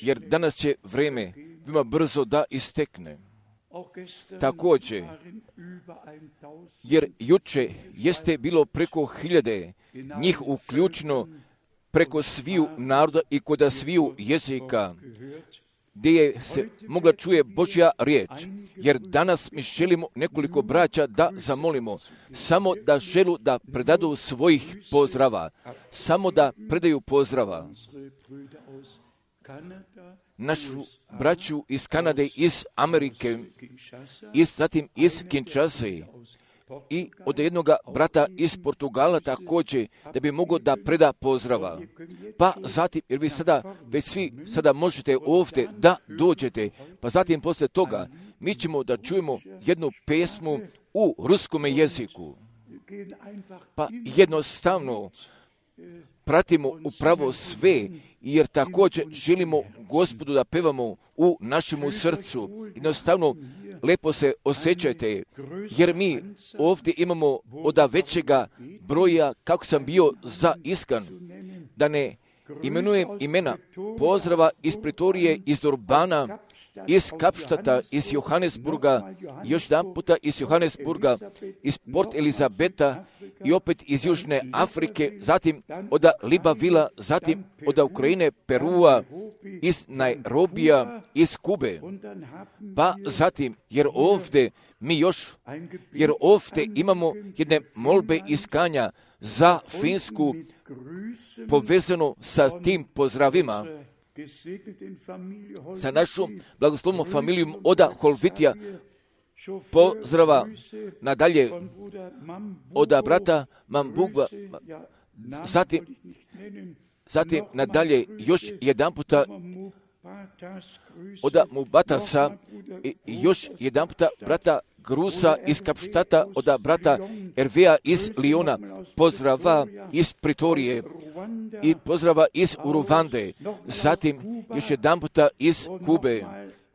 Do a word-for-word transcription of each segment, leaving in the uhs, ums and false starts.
jer danas će vrijeme veoma brzo da istekne. Također, jer juče jeste bilo preko hiljade njih uključeno preko sviju naroda i kod sviju jezika, gdje je se mogla čuje Božja riječ, jer danas mi želimo nekoliko braća da zamolimo, samo da želu da predadu svojih pozdrava, samo da predaju pozdrava. Našu braću iz Kanade, iz Amerike, i zatim iz Kinshase, i od jednog brata iz Portugala također, da bi mogao da preda pozdrava. Pa zatim, jer vi sada, već svi sada možete ovdje da dođete, pa zatim poslije toga mi ćemo da čujemo jednu pesmu u ruskom jeziku. Pa jednostavno pratimo upravo sve, jer također želimo Gospodu da pevamo u našemu srcu. Jednostavno, lepo se osjećajte, jer mi ovdje imamo od većega broja, kako sam bio zaiskan, da ne imenujem imena pozdrava iz Pretorije, iz Durbana, iz Kapštata, iz Johannesburga, još jedan puta iz Johannesburga, iz Port Elizabeta i opet iz Južne Afrike, zatim od Libavila, zatim od Ukrajine, Perua, iz Nairobija, iz Kube. Pa zatim, jer ovdje mi još, jer ovdje imamo jedne molbe iskanja za Finsku, povezano sa tim pozdravima, sa našom blagoslovnom familijom Oda Holvitija, pozdrava nadalje od brata Mambuga, zatim, zatim nadalje još jedan puta od Mubatasa, i još jedan puta brata Grusa iz Kapštata, od brata Ervea iz Liona, pozdrava iz Pretorije i pozdrava iz Uruvande, zatim još jedan puta iz Kube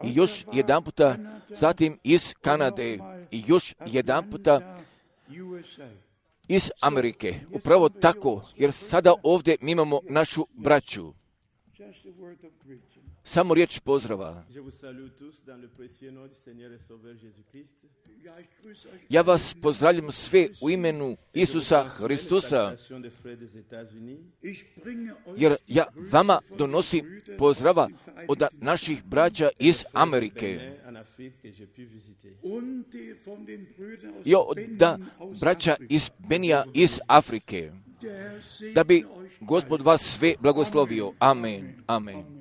i još jedan puta zatim iz Kanade i još jedan puta iz Amerike. Upravo tako, jer sada ovdje mi imamo našu braću. Samo riječ pozdrava. Ja vas pozdravljam sve u imenu Isusa Hristusa, jer ja vama donosim pozdrava od naših braća iz Amerike i od braća iz Benija iz Afrike, da bi Gospod vas sve blagoslovio. Amen. Amen.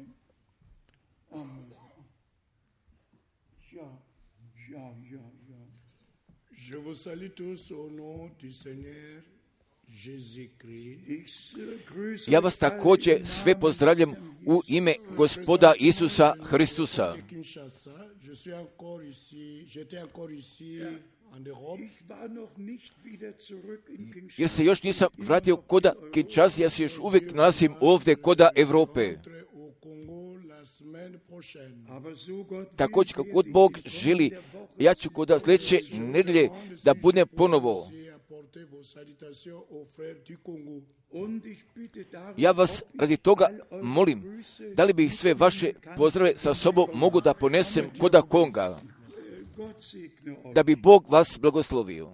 Je vous salue tous au nom du Seigneur Jésus-Christ. Ja vas također sve pozdravljam u ime Gospoda Isusa Hristusa. Jer se još nisam vratio koda Kinshasa, ja se još uvijek nalazim ovdje koda Evrope. Također kako god Bog želi, ja ću kod sljedeće nedjelje da budem ponovo. Ja vas radi toga molim, da li bih sve vaše pozdrave sa sobom mogu da ponesem koda Konga, da bi Bog vas blagoslovio.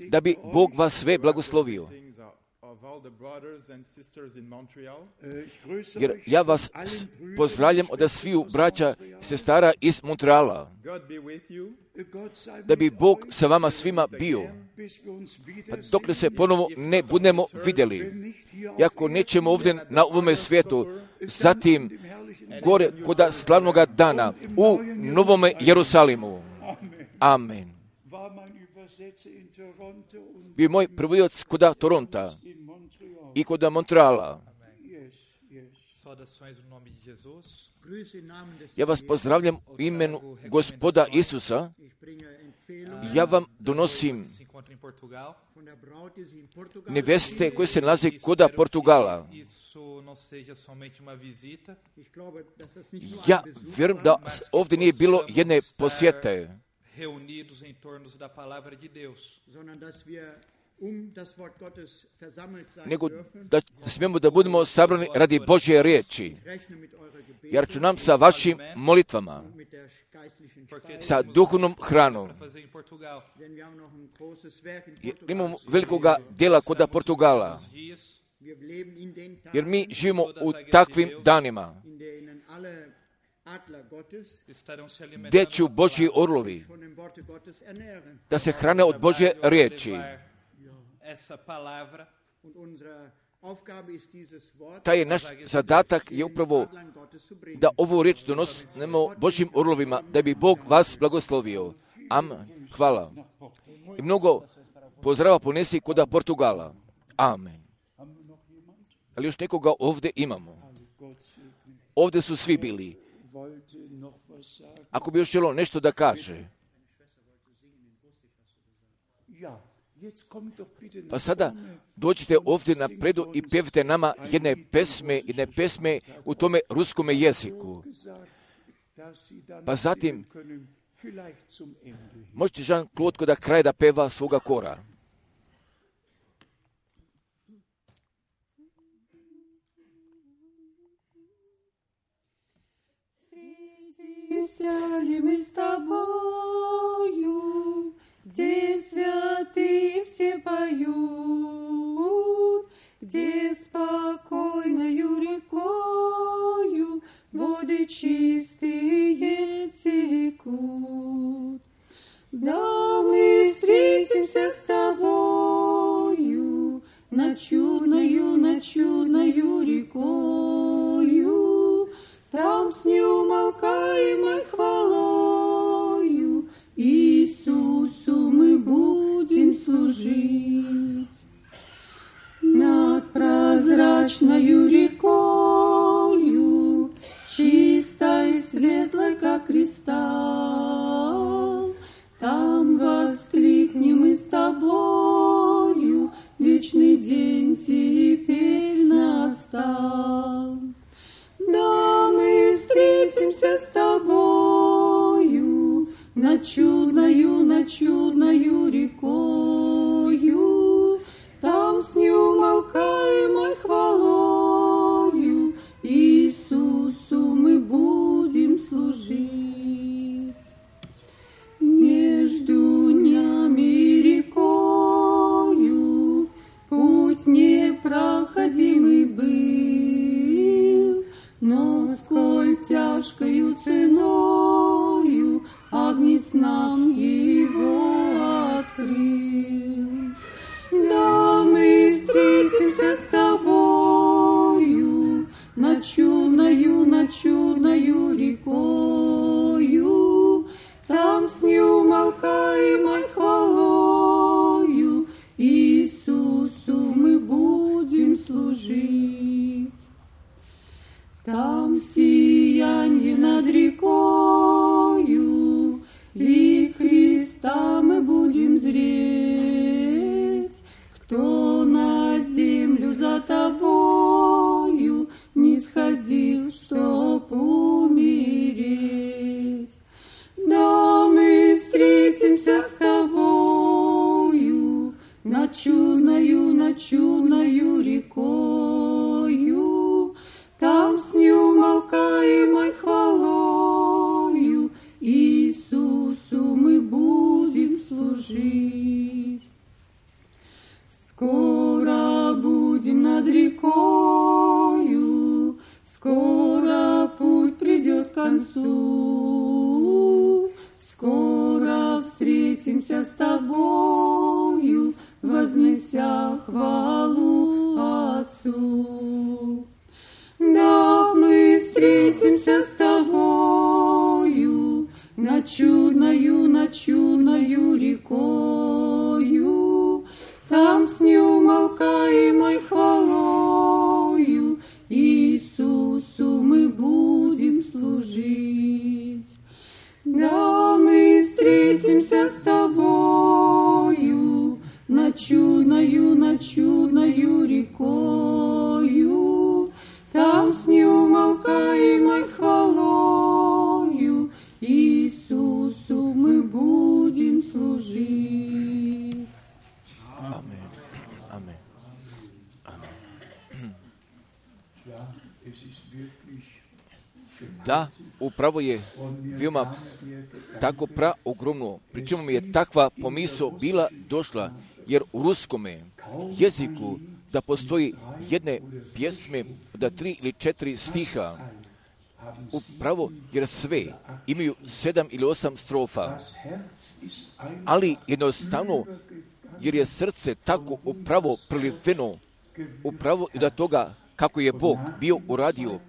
Da bi Bog vas sve blagoslovio. Jer ja vas pozdravljam od sviju braća i sestara iz Montreala. Da bi Bog sa vama svima bio. Pa dok se ponovo ne budemo vidjeli. Iako nećemo ovdje na ovome svijetu, zatim gore kod slavnoga dana u Novome Jerusalimu. Amen. Bio moj prevodioc kod Toronta i kod Montreala. Ja vas pozdravljam u imenu Gospoda Isusa. Ja vam donosim neveste koje se nalaze kod Portugala. Ja vjerujem da ovdje nije bilo jedne posjete. reunidos em torno da palavra de Deus, nego da smijemo da budemo sabrani radi Božje riječi. Ja računam sa vašim molitvama, sa duhovnom hranom. Jer imamo velikoga djela kod Portugala, jer mi živimo u takvim danima gdje će Božji orlovi da se hrane od Božje riječi. Taj je naš zadatak je upravo da ovu riječ donosimo Božjim orlovima, da bi Bog vas blagoslovio. Amen. Hvala. I mnogo pozdrava ponesi kod Portugala. Amen. Ali još nekoga ovdje imamo. Ovdje su svi bili. Ako bi još želio nešto da kaže. Pa sada dođite ovdje na predu i pjevite nama jedne pesme, jedne pesme u tome ruskome jeziku. Pa zatim možete Jean-Claude da kraj da peva svoga kora. Сяли мы с тобою, где святые все поют, где спокойною рекою воды чистые текут. Да мы встретимся с тобою над чудною, над чудною рекою, там с неумолкаемой хвалою Иисусу мы будем служить. Над прозрачною рекою, чистой и светлой, как кристалл, там воскликнем мы с тобою, вечный день теперь настал. Да, мы встретимся с тобою над чудною, над чудною рекою, там с неумолкаемой хвалою Иисусу мы будем служить. Между днями и рекою путь непроходимый был, но сколь тяжкою ценою Агнец нам его открыл. Да, мы встретимся с тобою над чудною, над чудною рекою, там с неумолкаемой хвалою Иисусу мы будем служить. Там сиянье над рекою, лик Христа мы будем зреть. Кто на землю за тобою не сходил, чтоб умереть? Да, мы встретимся с тобою над чудною, над чудною рекою, там с неумолкаемой хвалою Иисусу мы будем служить. Скоро будем над рекою, скоро путь придет к концу, скоро встретимся с тобою, вознеся хвалу Отцу. Да, мы встретимся с тобою над чудною, над чудною рекою, там с неумолкаемой хвалою Иисусу мы будем служить. Да, мы встретимся с тобою над чудною, над чудною рекою, там с неумолкаемой хвалою Иисусу мы будем Da, upravo je veoma tako pra ogromno. Pričemu mi je takva pomisao bila došla, jer u ruskome jeziku da postoji jedne pjesme, da tri ili četiri stiha, upravo jer sve imaju sedam ili osam strofa, ali jednostavno jer je srce tako upravo priliveno, upravo i da toga kako je Bog bio uradio,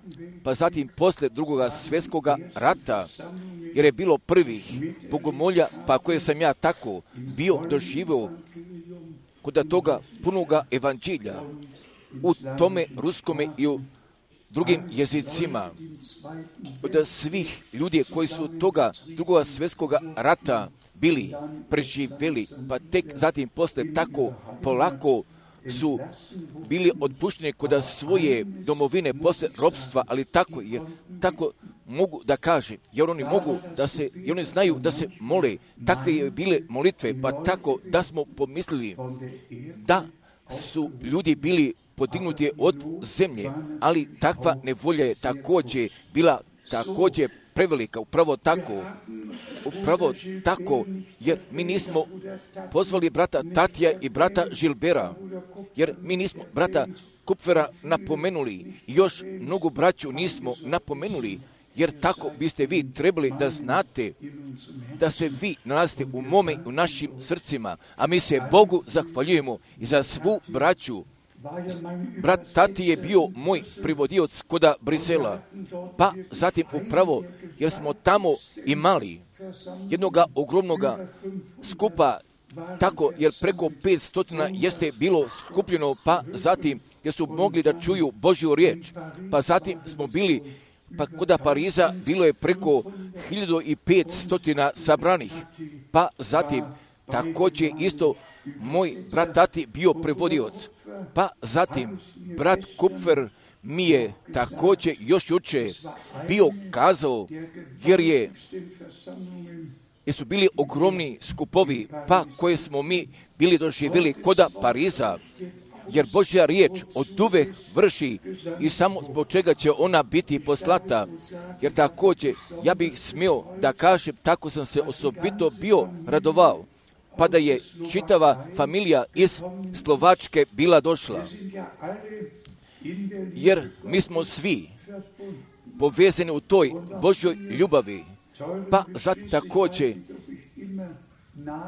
pa zatim posle drugoga svjetskoga rata, jer je bilo prvih bogomolja, pa koje sam ja tako bio doživio kod toga punoga evanđelja, u tome ruskome i u drugim jezicima, od svih ljudi koji su toga drugoga svjetskoga rata bili preživjeli, pa tek zatim posle tako polako su bili otpušteni kod svoje domovine posle ropstva, ali tako je, tako mogu da kaže, jer oni mogu da se, i oni znaju da se mole, takve je bile molitve, pa tako da smo pomislili da su ljudi bili podignuti od zemlje, ali takva nevolja je također bila također prevelika, upravo tako, upravo tako, jer mi nismo pozvali brata Tatija i brata Žilbera, jer mi nismo brata Kupfera napomenuli, i još mnogo braću nismo napomenuli, jer tako biste vi trebali da znate da se vi nalazite u mome, u našim srcima, a mi se Bogu zahvaljujemo i za svu braću. Brat Tati je bio moj privodioc koda Brisela, pa zatim upravo jer smo tamo imali jednoga ogromnoga skupa, tako jer preko petsto jeste bilo skupljeno, pa zatim jer su mogli da čuju Božju riječ, pa zatim smo bili, pa kod Pariza bilo je preko hiljadu petsto sabranih, pa zatim također isto moj brat Tati bio prevodioc, pa zatim brat Kupfer mi je također još juče bio kazao, jer je jer su bili ogromni skupovi, pa koje smo mi bili doživjeli koda Pariza, jer Božja riječ od uvek vrši i samo zbog čega će ona biti poslata, jer također ja bih smio da kažem, tako sam se osobito bio radovao, pa da je čitava familija iz Slovačke bila došla, jer mi smo svi povezani u toj Božjoj ljubavi, pa zato također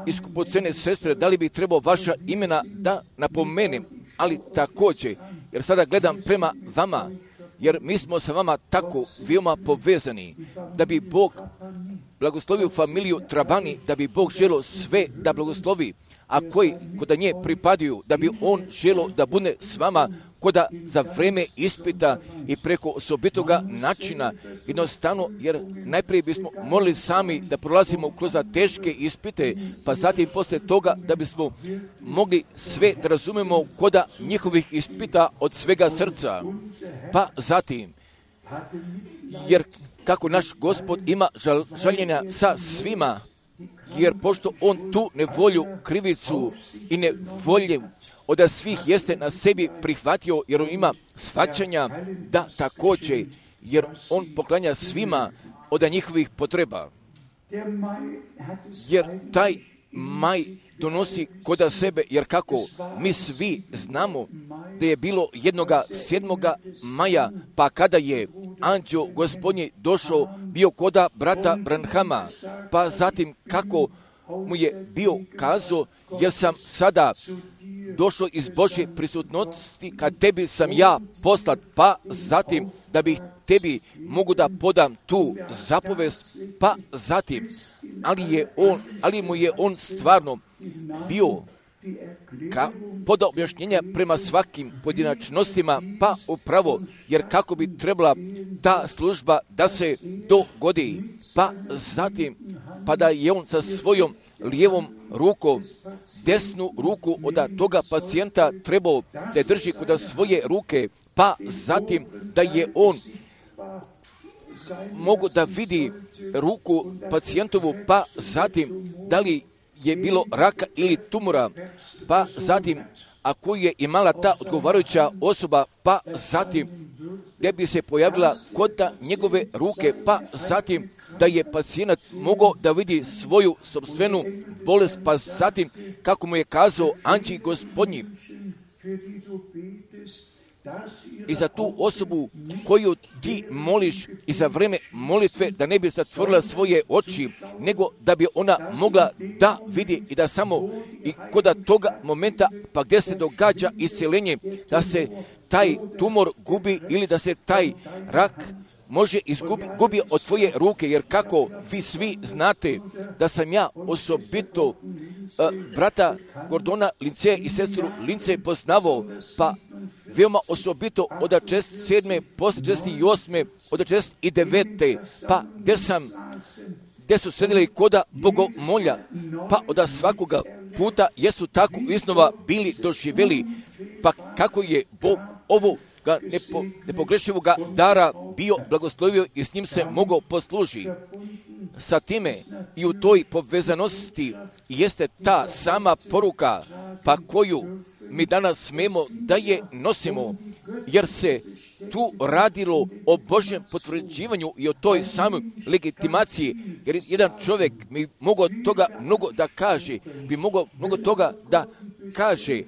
iskupocene sestre, da li bi trebao vaša imena da napomenem, ali također, jer sada gledam prema vama, jer mi smo sa vama tako veoma povezani, da bi Bog blagoslovio familiju Trabani, da bi Bog želo sve da blagoslovi, a koji koda nje pripadaju, da bi On želo da bude s vama koda za vreme ispita i preko osobitoga načina, jednostavno, jer najprije bismo morali sami da prolazimo kroz teške ispite, pa zatim posle toga da bismo mogli sve da razumemo koda njihovih ispita od svega srca, pa zatim, jer kako naš Gospod ima žal, žaljenja sa svima, jer pošto On tu nevolju, krivicu i nevolju od svih jeste na sebi prihvatio, jer On ima shvaćanja da također, jer On poklanja svima od njihovih potreba. Jer taj maj donosi koda sebe, jer kako mi svi znamo da je bilo jednoga sedmoga maja, pa kada je anđeo Gospodnji došao, bio koda brata Branhama, pa zatim kako mu je bio kazao, jer sam sada došao iz Božje prisutnosti, kad tebi sam ja poslat, pa zatim da bih tebi mogu da podam tu zapovest, pa zatim, ali je on, ali mu je on stvarno bio ka, podao objašnjenja prema svakim pojedinačnostima, pa upravo, jer kako bi trebala ta služba da se dogodi, pa zatim, pa da je on sa svojom lijevom rukom, desnu ruku od toga pacijenta trebao da drži kod svoje ruke, pa zatim da je on mogu da vidi ruku pacijentovu, pa zatim da li je bilo raka ili tumora, pa zatim ako je imala ta odgovarajuća osoba, pa zatim gdje bi se pojavila kota njegove ruke, pa zatim da je pacijent mogao da vidi svoju sopstvenu bolest, pa zatim kako mu je kazao anđeo Gospodnji. I za tu osobu koju ti moliš i za vreme molitve da ne bi zatvorila svoje oči, nego da bi ona mogla da vidi i da samo i kod toga momenta pa gdje se događa isceljenje, da se taj tumor gubi ili da se taj rak može izgubi gubi od tvoje ruke, jer kako vi svi znate da sam ja osobito uh, brata Gordona Lince i sestru Lince poznavao, pa veoma osobito od šezdeset sedme, posle šezdeset osme, od šezdeset devete, pa gdje sam, gdje su sedeli koda bogomolja, pa od svakoga puta jesu tako iznova bili doživjeli, pa kako je Bog ovo ga nepo, nepogrešivoga dara bio blagoslovio i s njim se mogao posluži. Sa time i u toj povezanosti jeste ta sama poruka pa koju mi danas smemo da je nosimo, jer se tu radilo o Božjem potvrđivanju i o toj samoj legitimaciji, jer jedan čovjek bi mogao toga mnogo da kaže, bi mogao mnogo toga da kaže,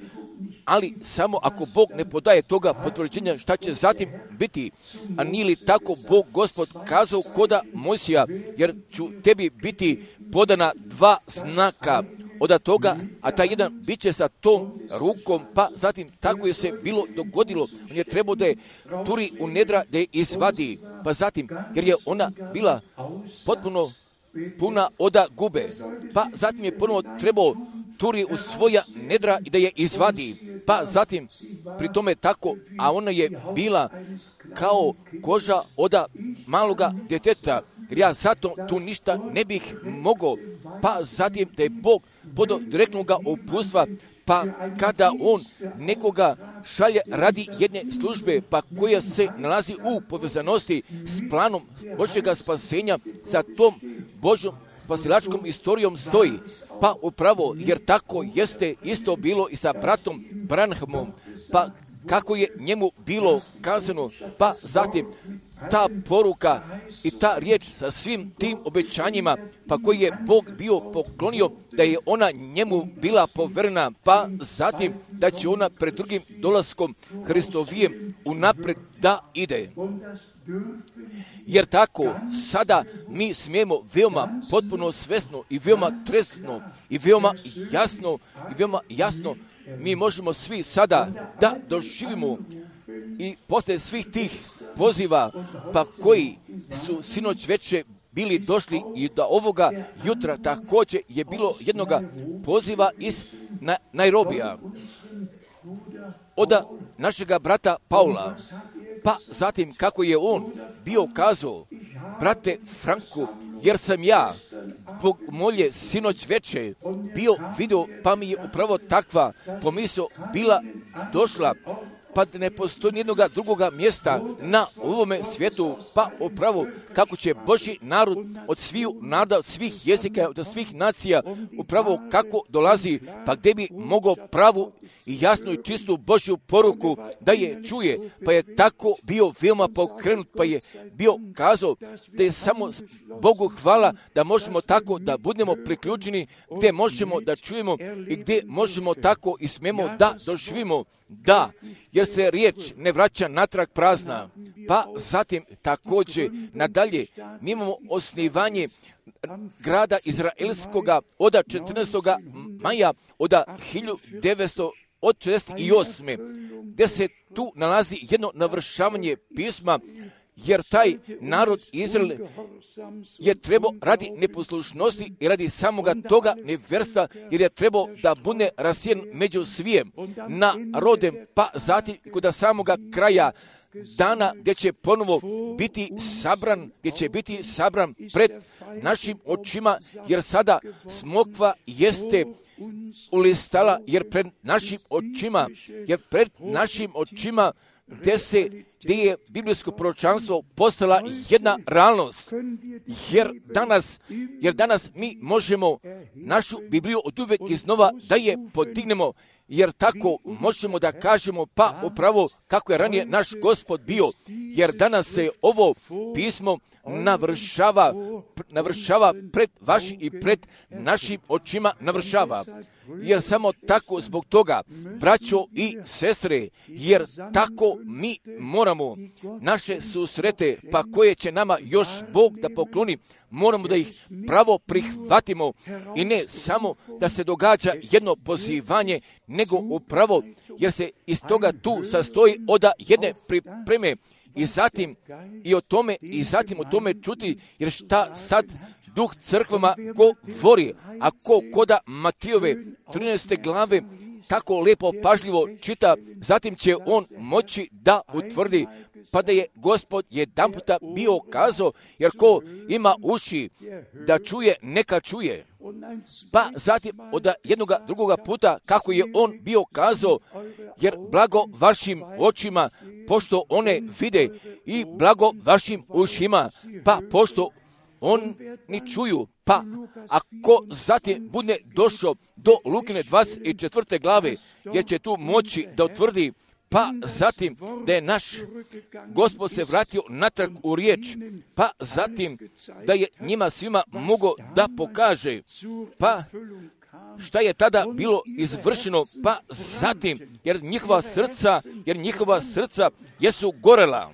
ali samo ako Bog ne podaje toga potvrđenja, šta će zatim biti? A nije li tako Bog Gospod kazao koda Mojsija, jer ću tebi biti podana dva znaka od toga, a taj jedan bit će sa tom rukom, pa zatim tako je se bilo dogodilo. On je trebao da je turi u nedra, da je izvadi, pa zatim, jer je ona bila potpuno puna oda gube, pa zatim je ponovo trebao turi u svoja nedra i da je izvadi, pa zatim pri tome tako, a ona je bila kao koža oda maloga djeteta, jer ja zato tu ništa ne bih mogao, pa zatim da je Bog podo direktnoga upustva, pa kada on nekoga šalje radi jedne službe, pa koja se nalazi u povezanosti s planom Božjega spasenja, sa tom Božjom spasilačkom istorijom stoji, pa upravo, jer tako jeste isto bilo i sa bratom Branhamom, pa kako je njemu bilo kazano, pa zatim ta poruka i ta riječ sa svim tim obećanjima, pa koji je Bog bio poklonio, da je ona njemu bila poverena, pa zatim da će ona pred drugim dolaskom Hristovijem unapred da ide. Jer tako, sada mi smijemo veoma potpuno svesno i veoma trezno i veoma jasno i veoma jasno mi možemo svi sada da doživimo i posle svih tih poziva, pa koji su sinoć veče bili došli i da ovoga jutra također je bilo jednoga poziva iz Nairobija od našega brata Paula, pa zatim kako je on bio kazao, brate Franku, jer sam ja Bog molje sinoć veče bio vidio, pa mi je upravo takva pomisao bila došla, pa ne postoji nijednoga drugoga mjesta na ovome svijetu, pa upravo kako će Božji narod od sviju naroda, svih jezika, od svih nacija, upravo kako dolazi, pa gdje bi mogao pravu i jasnu i čistu Božju poruku da je čuje, pa je tako bio veoma pokrenut, pa je bio kazao da je samo Bogu hvala da možemo tako da budemo priključeni, gdje možemo da čujemo i gdje možemo tako i smemo da doživimo. Da, jer se riječ ne vraća natrag prazna. Pa zatim također nadalje mi imamo osnivanje grada Izraelskoga od četrnaestog maja od hiljadu devetsto šezdeset osme. gdje se tu nalazi jedno navršavanje pisma, jer taj narod Izrael je trebao radi neposlušnosti i radi samoga toga neverstva, jer je trebao da bude rasijen među svijem narodem, pa zatim kod samoga kraja dana gdje će ponovo biti sabran, gdje će biti sabran pred našim očima, jer sada smokva jeste ulistala, jer pred našim očima, jer pred našim očima gdje se gdje je biblijsko proročanstvo postala jedna realnost. Jer danas, jer danas mi možemo našu Bibliju od uvek iznova da je podignemo, jer tako možemo da kažemo pa upravo kako je ranije naš Gospod bio, jer danas se ovo pismo navršava, navršava pred vašim i pred našim očima navršava. Jer samo tako zbog toga, braćo i sestre, jer tako mi moramo naše susrete, pa koje će nama još Bog da pokloni, moramo da ih pravo prihvatimo i ne samo da se događa jedno pozivanje, nego upravo jer se iz toga tu sastoji od jedne pripreme i zatim i o tome i zatim o tome čuti, jer šta sad Duh crkvama govori, a ko koda Matijove trinaeste glave tako lepo pažljivo čita, zatim će on moći da utvrdi, pa da je Gospod jedan puta bio kazao, jer ko ima uši da čuje, neka čuje. Pa zatim od jednoga drugoga puta kako je on bio kazao, jer blago vašim očima, pošto one vide, i blago vašim ušima, pa pošto oni čuju. Pa ako zatim bude došao do Lukine dvadeset četvrte glave, jer će tu moći da utvrdi, pa zatim da je naš Gospod se vratio natrag u riječ, pa zatim da je njima svima mogao da pokaže, pa šta je tada bilo izvršeno, pa zatim, jer njihova srca, jer njihova srca jesu gorela.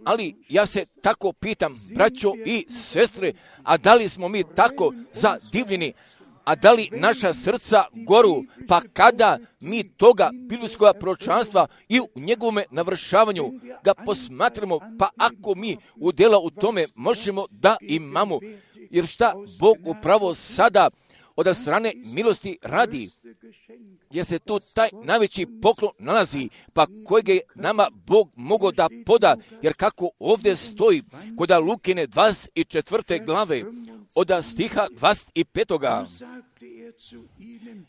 Ali ja se tako pitam, braćo i sestre, a da li smo mi tako zadivljeni, a da li naša srca goru, pa kada mi toga biblijskog proročanstva i u njegovome navršavanju ga posmatramo, pa ako mi udjela u tome možemo da imamo, jer šta Bog upravo sada od strane milosti radi, jer se tu taj najveći poklon nalazi, pa kojeg je nama Bog mogao da poda, jer kako ovdje stoji kod Lukine dvadeset četvrte glave, od stiha dvadeset petoga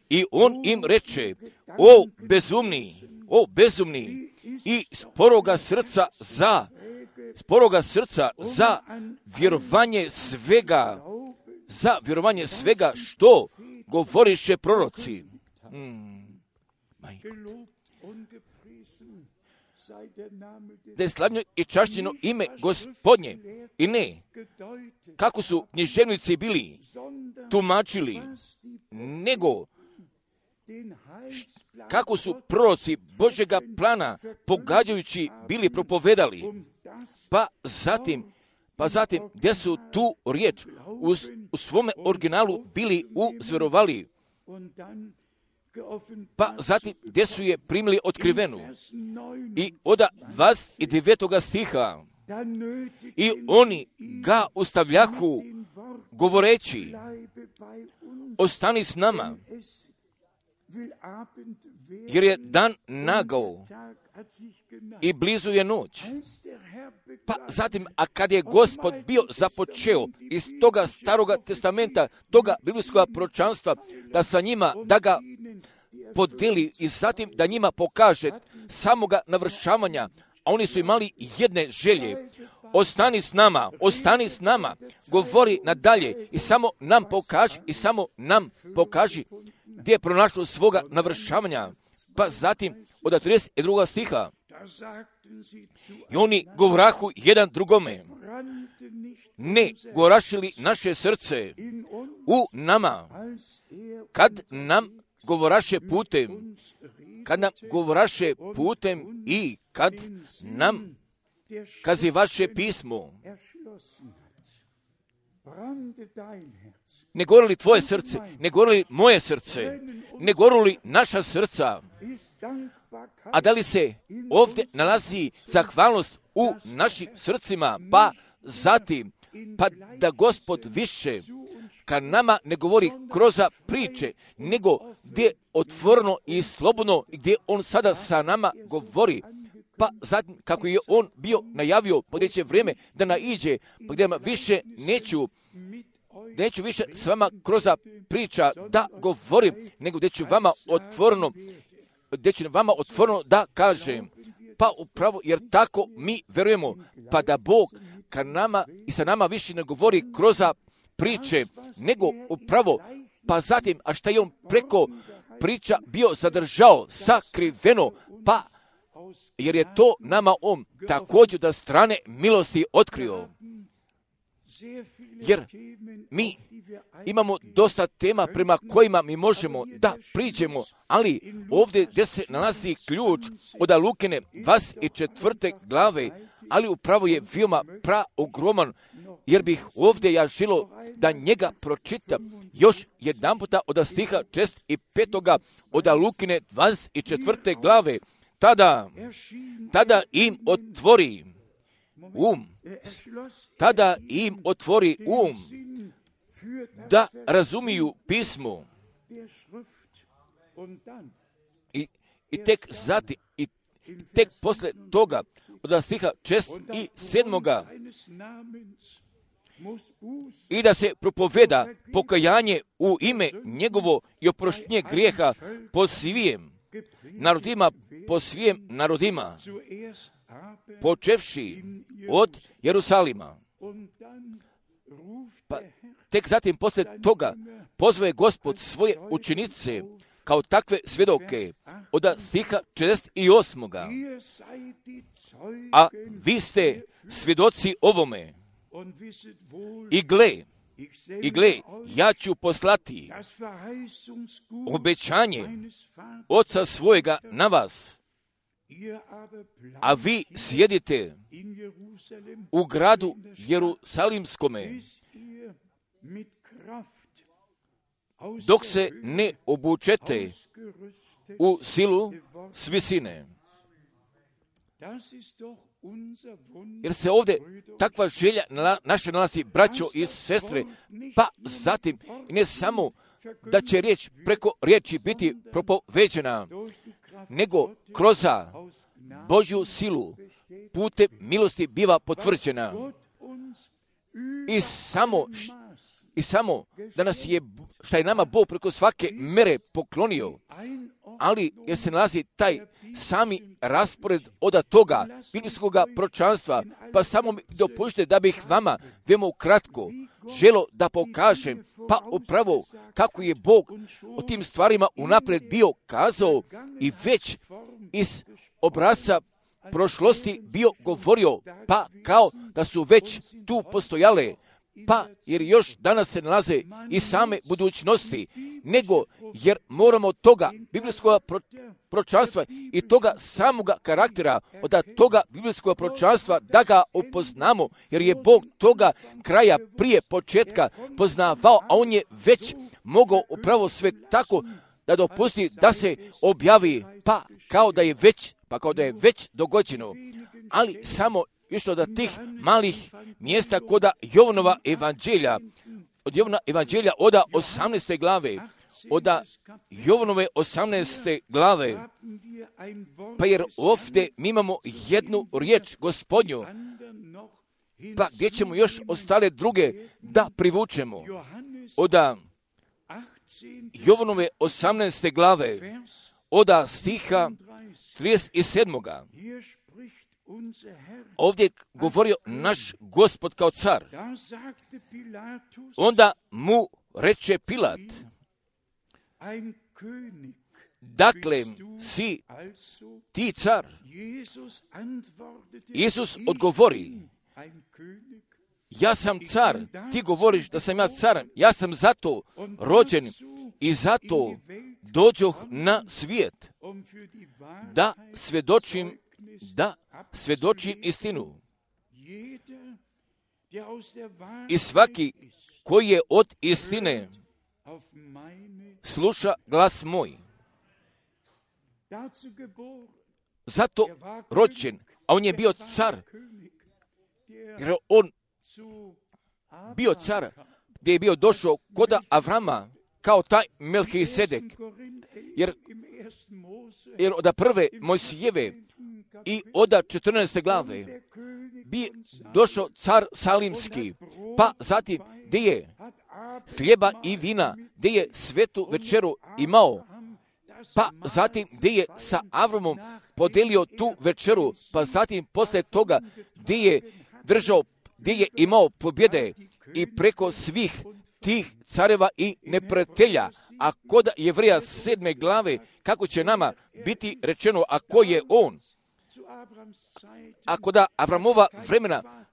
I on im reče, o bezumni, o bezumni i sporoga srca za, sporoga srca za vjerovanje svega, za vjerovanje svega što govoriše proroci. Hmm. Da je slavnjo i čašćeno ime Gospodnje i ne kako su književnici bili tumačili, nego kako su proroci Božjega plana pogađajući bili propovedali, pa zatim pa zatim gdje su tu riječ u, u svome originalu bili uzverovali, pa zatim gdje su je primili otkrivenu. I od dvadeset devetoga stiha i oni ga ustavljahu govoreći, ostani s nama, jer je dan nagao i blizu je noć. Pa zatim, a kad je Gospod bio započeo iz toga staroga testamenta, toga biblijskog proročanstva, da sa njima, da ga podeli i zatim da njima pokaže samoga navršavanja, a oni su imali jedne želje, ostani s nama, ostani s nama, govori nadalje i samo nam pokaži, i samo nam pokaži gdje je pronašlo svoga navršavanja. Pa zatim od trideset drugog stiha i oni govrahu jedan drugome, ne gorašili naše srce u nama, kad nam govoraše putem, kad nam govoraše putem i kad nam kazivaše pismo. Ne gorili tvoje srce, ne gorili moje srce, ne gorili naša srca. A da li se ovdje nalazi zahvalnost u našim srcima, pa zatim, pa da Gospod više kad nama ne govori kroz priče, nego gdje otvoreno i slobodno, gdje on sada sa nama govori, pa zatim kako je on bio najavio, pa gdje će vrijeme da naiđe, pa gdje više neću, neću više s vama kroz priča da govorim, nego gdje ću vama otvoreno, gdje ću vama otvoreno da kažem, Pa upravo jer tako mi verujemo, pa da Bog ka nama i sa nama više ne govori kroz priče, nego upravo, pa zatim, a šta je on preko priča bio zadržao sakriveno, pa jer je to nama on također da strane milosti otkrio. Jer mi imamo dosta tema prema kojima mi možemo da priđemo, ali ovdje gdje se nalazi ključ od Lukine dvadeset četvrte glave, ali upravo je veoma praogroman, jer bih ovdje ja želo da njega pročitam još jedan puta od stiha šest i petoga od Lukine dvadeset četvrte glave. Tada, tada im otvori um, tada im otvori um, da razumiju pismo. I, i tek zatim, i tek posle toga, od stiha šest i sedmoga, i da se propoveda pokajanje u ime njegovo i oproštenje grijeha po svijem narodima, po svijem narodima, počevši od Jerusalima. Pa tek zatim posle toga pozove Gospod svoje učenice kao takve svjedoke od stiha šezdeset osmoga. A vi ste svjedoci ovome. I gle, i gle, ja ću poslati obećanje Oca svojega na vas, a vi sjedite u gradu Jerusalimskome, dok se ne obučete u silu s visine. Jer se ovdje takva želja naše nalazi, braćo i sestre, pa zatim ne samo da će riječ preko riječi biti propoveđena, nego kroz Božju silu putem milosti biva potvrđena. I samo, i samo da nas je, šta je nama Bog preko svake mere poklonio, ali jer se nalazi taj sami raspored od toga biblijskog proročanstva, pa samo mi dopušte da bih vama veoma kratko želo da pokažem, pa upravo kako je Bog o tim stvarima unaprijed bio kazao i već iz obrazca prošlosti bio govorio, pa kao da su već tu postojale, pa jer još danas se nalaze i same budućnosti, nego jer moramo toga biblijskog proročanstva i toga samoga karaktera od toga biblijskog proročanstva da ga upoznamo, jer je Bog toga kraja prije početka poznavao, a on je već mogao upravo sve tako da dopusti da se objavi, pa kao da je već, pa kao da je već dogođeno, ali samo još od tih malih mjesta koda Jovanova evanđelja, od Jovana evanđelja od osamnaeste glave, od Jovanove osamnaeste glave, pa jer ovdje mi imamo jednu riječ Gospodnju, pa gdje ćemo još ostale druge da privučemo. Od Jovanove osamnaeste glave, od stiha trideset sedmoga. Ovdje govorio naš Gospod kao car. Onda mu reče Pilat, dakle si ti car? Isus odgovori, ja sam car, ti govoriš da sam ja car, ja sam zato rođen i zato dođoh na svijet, da svjedočim da svjedočim istinu. I svaki koji je od istine sluša glas moj. Zato rođen, a on je bio car, jer on bio car gdje je bio došao kod Avrama kao taj Melhisedek, jer, jer od prve Mojsijeve i od četrnaeste glave bi došao car Salimski, pa zatim gdje je hljeba i vina, gdje je svetu večeru imao, pa zatim gdje je sa Avramom podelio tu večeru, pa zatim posle toga gdje je držao, gdje je imao pobjede i preko svih tih careva i neprijatelja. A kod Jevreja sedme glave, kako će nama biti rečeno, a ko je on? A kod Avramova vremena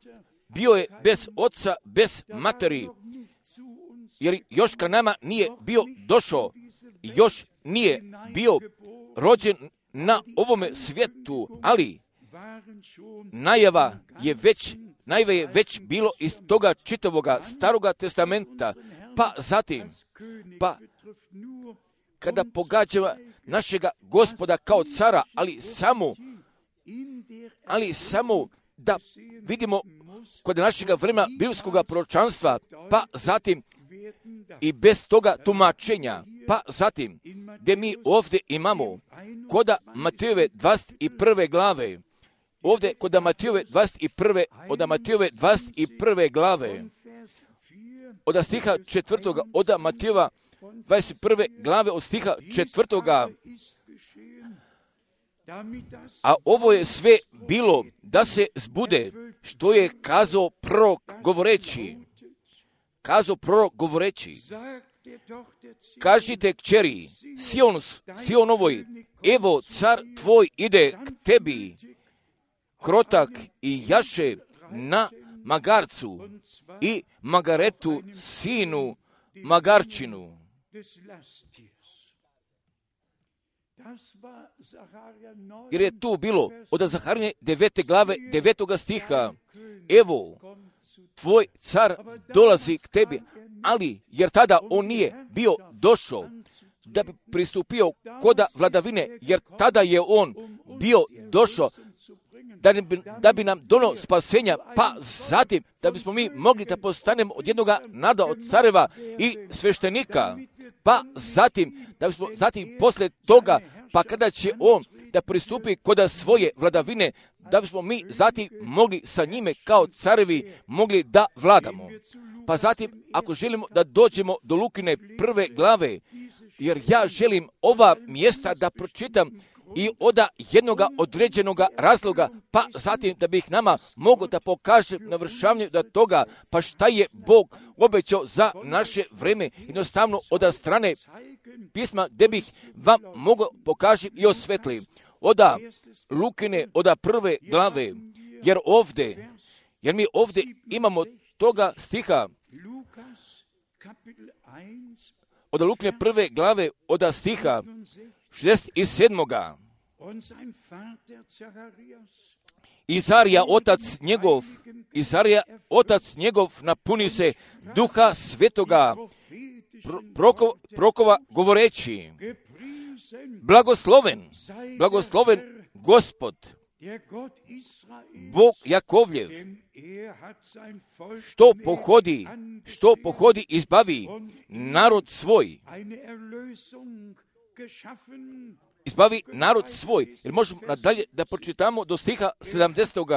bio je bez oca, bez materi, jer još ka nama nije bio došao, još nije bio rođen na ovome svijetu, ali najava je već, najava je već bilo iz toga čitavoga staroga testamenta, pa zatim, pa kada pogađa našega Gospoda kao cara, ali samo, ali samo da vidimo kod našega vremena biblijskog proročanstva, pa zatim i bez toga tumačenja, pa zatim gdje mi ovdje imamo kod Matejove dvadeset prve glave, ovdje kod Matejove dvadeset prve, od Matejove dvadeset prve glave, od stiha četvrtoga, od Matejova dvadeset prve glave, od stiha četvrtoga, a ovo je sve bilo da se zbude što je kazao prorok govoreći, kazao prorok govoreći, kažite kćeri Sion, Sionovoj, evo car tvoj ide k tebi, krotak i jaše na magarcu i magaretu sinu magarčinu. Jer je tu bilo od Zaharije devete glave devetoga stiha, evo tvoj car dolazi k tebi, ali jer tada on nije bio došao da bi pristupio koda vladavine, jer tada je on bio došao da bi, da bi nam donio spasenja, pa zatim da bismo mi mogli da postanemo od jednoga naroda, od careva i sveštenika, pa zatim da bismo zatim posle toga, pa kada će on da pristupi koda svoje vladavine, da bismo mi zatim mogli sa njime kao carevi mogli da vladamo. Pa zatim, ako želimo da dođemo do Lukine prve glave, jer ja želim ova mjesta da pročitam i od jednoga određenoga razloga, pa zatim da bih nama mogao da pokažem navršavanje da toga, pa šta je Bog obećao za naše vreme, jednostavno od strane pisma, gdje bih vam mogao pokažem i osvetlim. Od Lukine, od prve glave, jer ovdje, jer mi ovdje imamo toga stiha, od Lukine prve glave, od stiha šezdeset sedmoga. Izarija otac njegov, Izarija otac njegov napuni se duha svetoga proko, prokova govoreći, blagosloven, blagosloven Gospod, Bog Jakovljev, što pohodi, što pohodi izbavi narod svoj, izbavi narod svoj. Jer možemo nadalje da pročitamo do stiha sedamdesetog.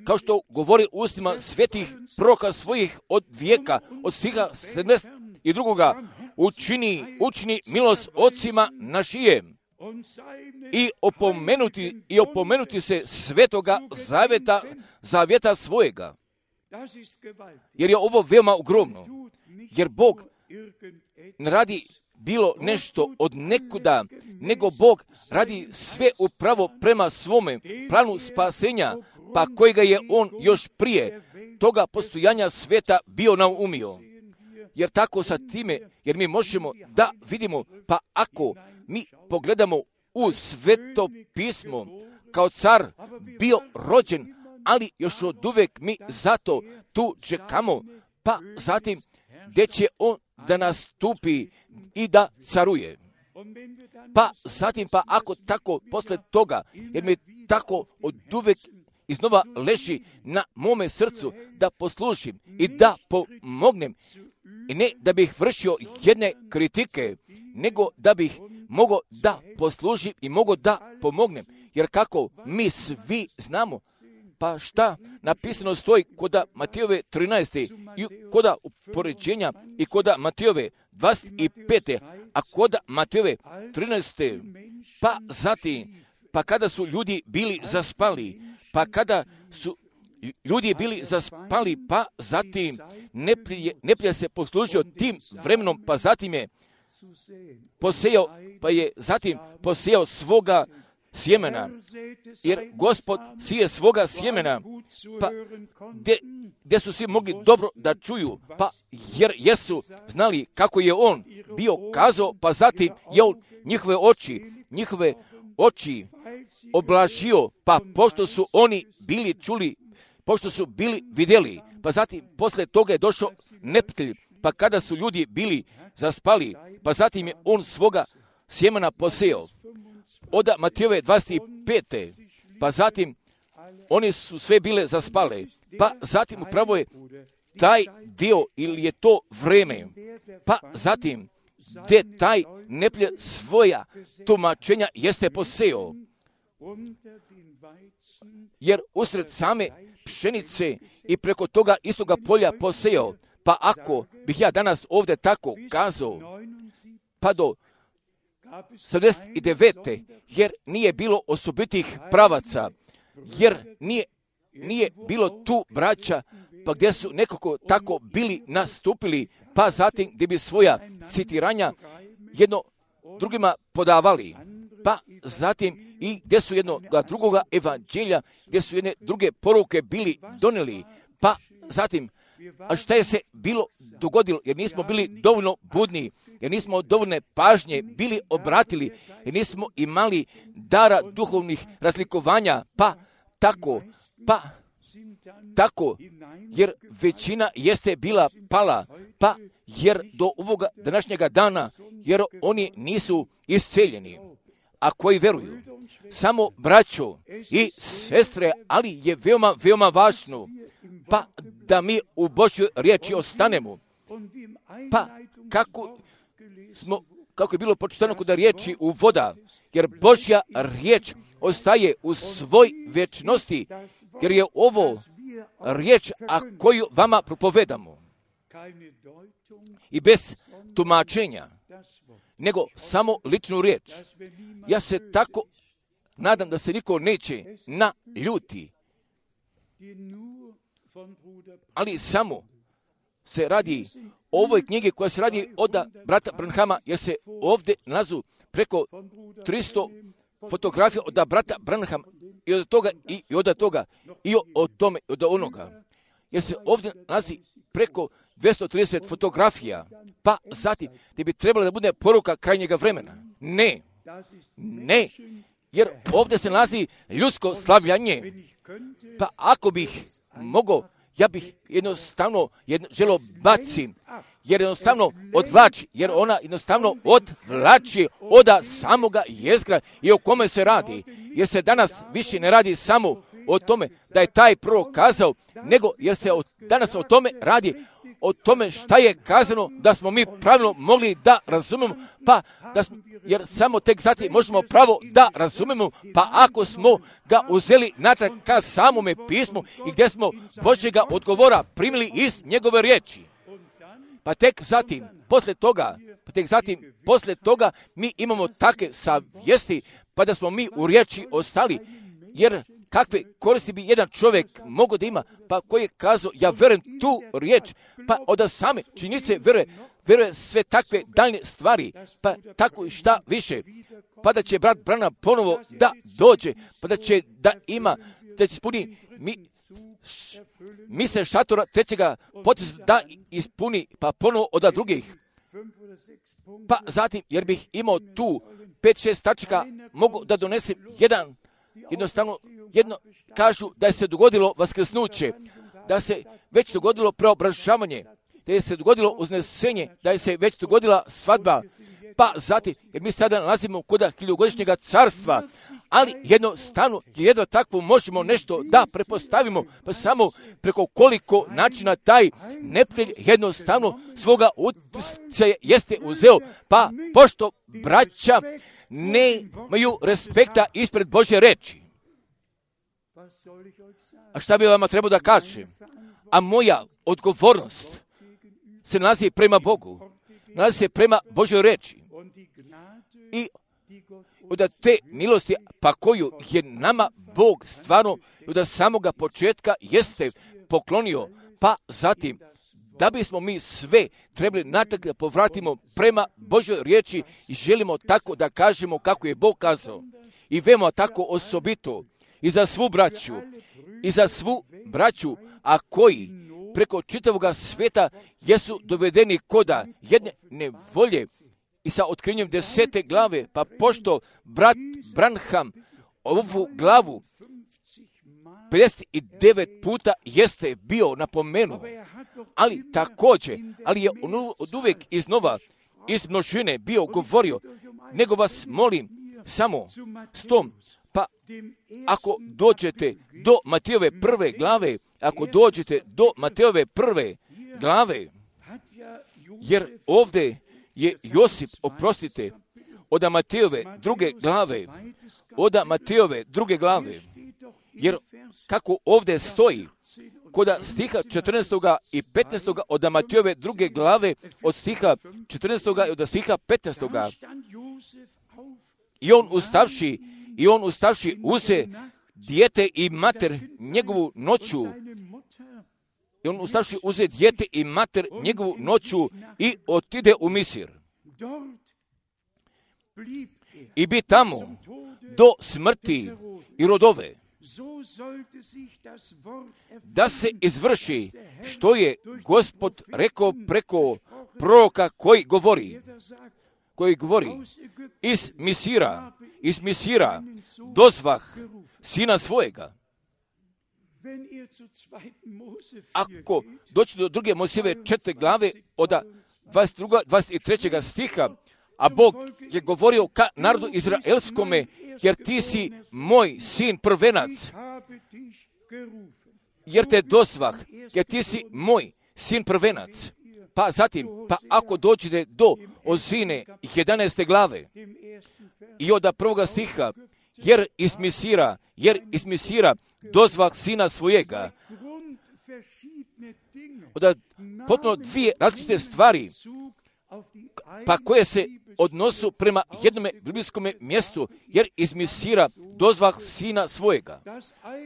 Kao što govori ustima svetih proroka svojih od vijeka, od stiha sedamdeset drugog. Učini, učini milost ocima našijem i opomenuti, i opomenuti se svetoga zaveta, zavjeta svojega. Jer je ovo veoma ogromno. Jer Bog ne radi bilo nešto od nekuda, nego Bog radi sve upravo prema svome planu spasenja, pa kojega je On još prije toga postojanja sveta bio naumio. Jer tako sa time, jer mi možemo da vidimo, pa ako mi pogledamo u sveto pismo, kao car bio rođen, ali još od uvek mi zato tu čekamo, pa zatim gdje će on da nastupi i da caruje. Pa zatim, pa ako tako posle toga, jer mi tako od uvek iznova leži na mome srcu da poslušim i da pomognem, i ne da bih vršio jedne kritike, nego da bih mogao da poslužim i mogao da pomognem. Jer kako mi svi znamo Pa šta napisano stoji koda Matejove trinaeste i koda upoređenja i koda Matejove dvadeset pete, a koda Matejove trinaeste, pa zatim, pa kada su ljudi bili zaspali, pa kada su ljudi bili zaspali, pa zatim neprijatelj neprijatelj se poslužio tim vremenom, pa zatim je posejao, pa je zatim posejao svoga sjemena, jer Gospod sije svoga sjemena, pa gdje su svi mogli dobro da čuju, pa jer jesu znali kako je on bio kazao, pa zatim je on njihove oči, njihove oči oblažio, pa pošto su oni bili čuli, pošto su bili vidjeli, pa zatim posle toga je došao neprijatelj, pa kada su ljudi bili zaspali, pa zatim je on svoga sjemena posejao. Od Matejove dvadeset pete, pa zatim oni su sve bile zaspale, pa zatim upravo je taj dio ili je to vreme, pa zatim gdje taj neprijatelj svoja tumačenja jeste posejao, jer usred same pšenice i preko toga istoga polja posejao. Pa ako bih ja danas ovdje tako kazao, pa do sedamdeset devete, jer nije bilo osobitih pravaca, jer nije, nije bilo tu braća, pa gdje su nekako tako bili nastupili, pa zatim gdje bi svoja citiranja jedno drugima podavali, pa zatim i gdje su jednoga drugoga evanđelja, gdje su jedne druge poruke bili donijeli, pa zatim, a šta je se bilo dogodilo, jer nismo bili dovoljno budni, jer nismo dovoljne pažnje bili obratili, jer nismo imali dara duhovnih razlikovanja, pa tako, pa tako, jer većina jeste bila pala, pa jer do ovoga današnjega dana, jer oni nisu isceljeni, a koji veruju, samo braćo i sestre, ali je veoma, veoma važno, pa da mi u Božjoj riječi ostanemo. Pa kako smo, kako je bilo pročitano kod riječi u voda, jer Božja riječ ostaje u svoj vječnosti, jer je ovo riječ, a koju vama propovedamo. I bez tumačenja, nego samo ličnu riječ. Ja se tako nadam da se niko neće naljuti, ali samo se radi o ovoj knjigi koja se radi od brata Branhama, jer se ovdje nalazu preko tristo fotografija od brata Branhama i od toga i, i od toga i od tome i od onoga. Jer se ovdje nalazi preko dvjesto trideset fotografija, pa zatim gdje bi trebalo da bude poruka krajnjega vremena. Ne, ne, jer ovdje se nalazi ljudsko slavljanje. Pa ako bih mogao, ja bih jednostavno jedno, želo baci, jer jednostavno odvlači, jer ona jednostavno odvlači od samoga jezgra i o kome se radi. Jer se danas više ne radi samo o tome da je taj prorok kazao, nego jer se o, danas o tome radi, o tome šta je kazano, da smo mi pravilno mogli da razumemo, pa da smo, jer samo tek zatim možemo pravo da razumemo, pa ako smo ga uzeli natrag ka samome pismu i gdje smo Božjega odgovora primili iz njegove riječi. Pa tek zatim, posle toga, pa tek zatim, posle toga mi imamo takve savjesti, pa da smo mi u riječi ostali, jer kakve koristi bi jedan čovjek mogao da ima, pa koji je kazao, ja verujem tu riječ, pa od same činjenice veruje, veruje sve takve daljne stvari, pa tako i šta više, pa da će brat Branham ponovo da dođe, pa da će da ima, da će ispuni mi, š, mi se šatora trećega poteza da ispuni, pa ponovo od drugih. Pa zatim, jer bih imao tu pet šest tačaka, mogu da donesem jedan, jednostavno, jedno kažu da je se dogodilo vaskrsnuće, da se već dogodilo preobražavanje, da je se dogodilo uznesenje, da je se već dogodila svadba, pa zatim, jer mi sada nalazimo kod hiljogodišnjega carstva, ali jednostavno, jedno takvo možemo nešto da prepostavimo, pa samo preko koliko načina taj neprijatelj jednostavno svoga utjecaja jeste uzeo, pa pošto braća nemaju respekta ispred Božje reči. A šta bi vama trebao da kažem? A moja odgovornost se nalazi prema Bogu, nalazi se prema Božoj reči. I od te milosti, pa koju je nama Bog stvarno od samoga početka jeste poklonio, pa zatim da bismo mi sve trebali natrag da povratimo prema Božoj riječi i želimo tako da kažemo kako je Bog kazao. I veoma tako osobito i za svu braću, i za svu braću, a koji preko čitavoga sveta jesu dovedeni koda jedne nevolje i sa otkrivanjem desete glave, pa pošto brat Branham ovu glavu pedeset devet puta jeste bio napomenu, ali također, ali je on od uvijek iznova iz množine bio govorio, nego vas molim samo s tom, pa ako dođete do Matejove prve glave, ako dođete do Matejove prve glave, jer ovdje je Josip, oprostite, od Matejove druge glave, od Matejove druge glave, jer kako ovdje stoji, kod stiha četrnaestog i petnaestog od Matejove druge glave, od stiha četrnaestog i od stiha petnaestog. I on ustavši, i on ustavši uze dijete i mater njegovu noću, i on ustavši uze dijete i mater njegovu noću i otide u Misir. I bi tamo do smrti i rodove, da se izvrši što je Gospod rekao preko proroka koji govori, koji govori, iz Misira, iz Misira dozvah sina svojega. Ako doći do druge Mojsijeve četvrte glave od dvadeset drugog, dvadeset trećeg stiha, a Bog je govorio ka narodu izraelskome, jer ti si moj sin prvenac, jer te dozvah, jer ti si moj sin prvenac. Pa zatim, pa ako dođete do Ozine jedanaeste glave i od prvoga stiha, jer iz Misira, jer iz Misira dozvah sina svojega, od potpuno dvije različite stvari, pa koje se odnosu prema jednome biblijskom mjestu, jer iz Misira dozvah sina svojega.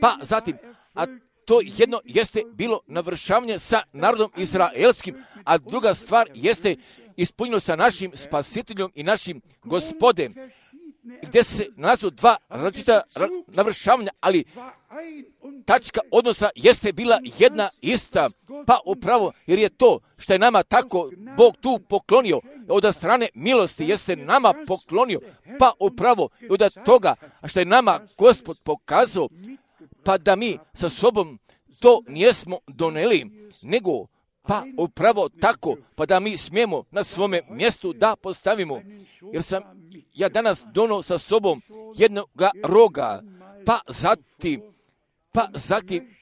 Pa zatim, a to jedno jeste bilo navršavanje sa narodom izraelskim, a druga stvar jeste ispunjeno sa našim spasiteljom i našim gospodem, gdje se nalazu dva različita navršavanja, ali tačka odnosa jeste bila jedna ista, pa upravo jer je to što je nama tako Bog tu poklonio, od strane milosti jeste nama poklonio, pa upravo od toga što je nama Gospod pokazao, pa da mi sa sobom to nijesmo doneli, nego pa upravo tako, pa da mi smijemo na svome mjestu da postavimo. Jer sam ja danas donio sa sobom jednoga roga, pa zatim, pa zatim,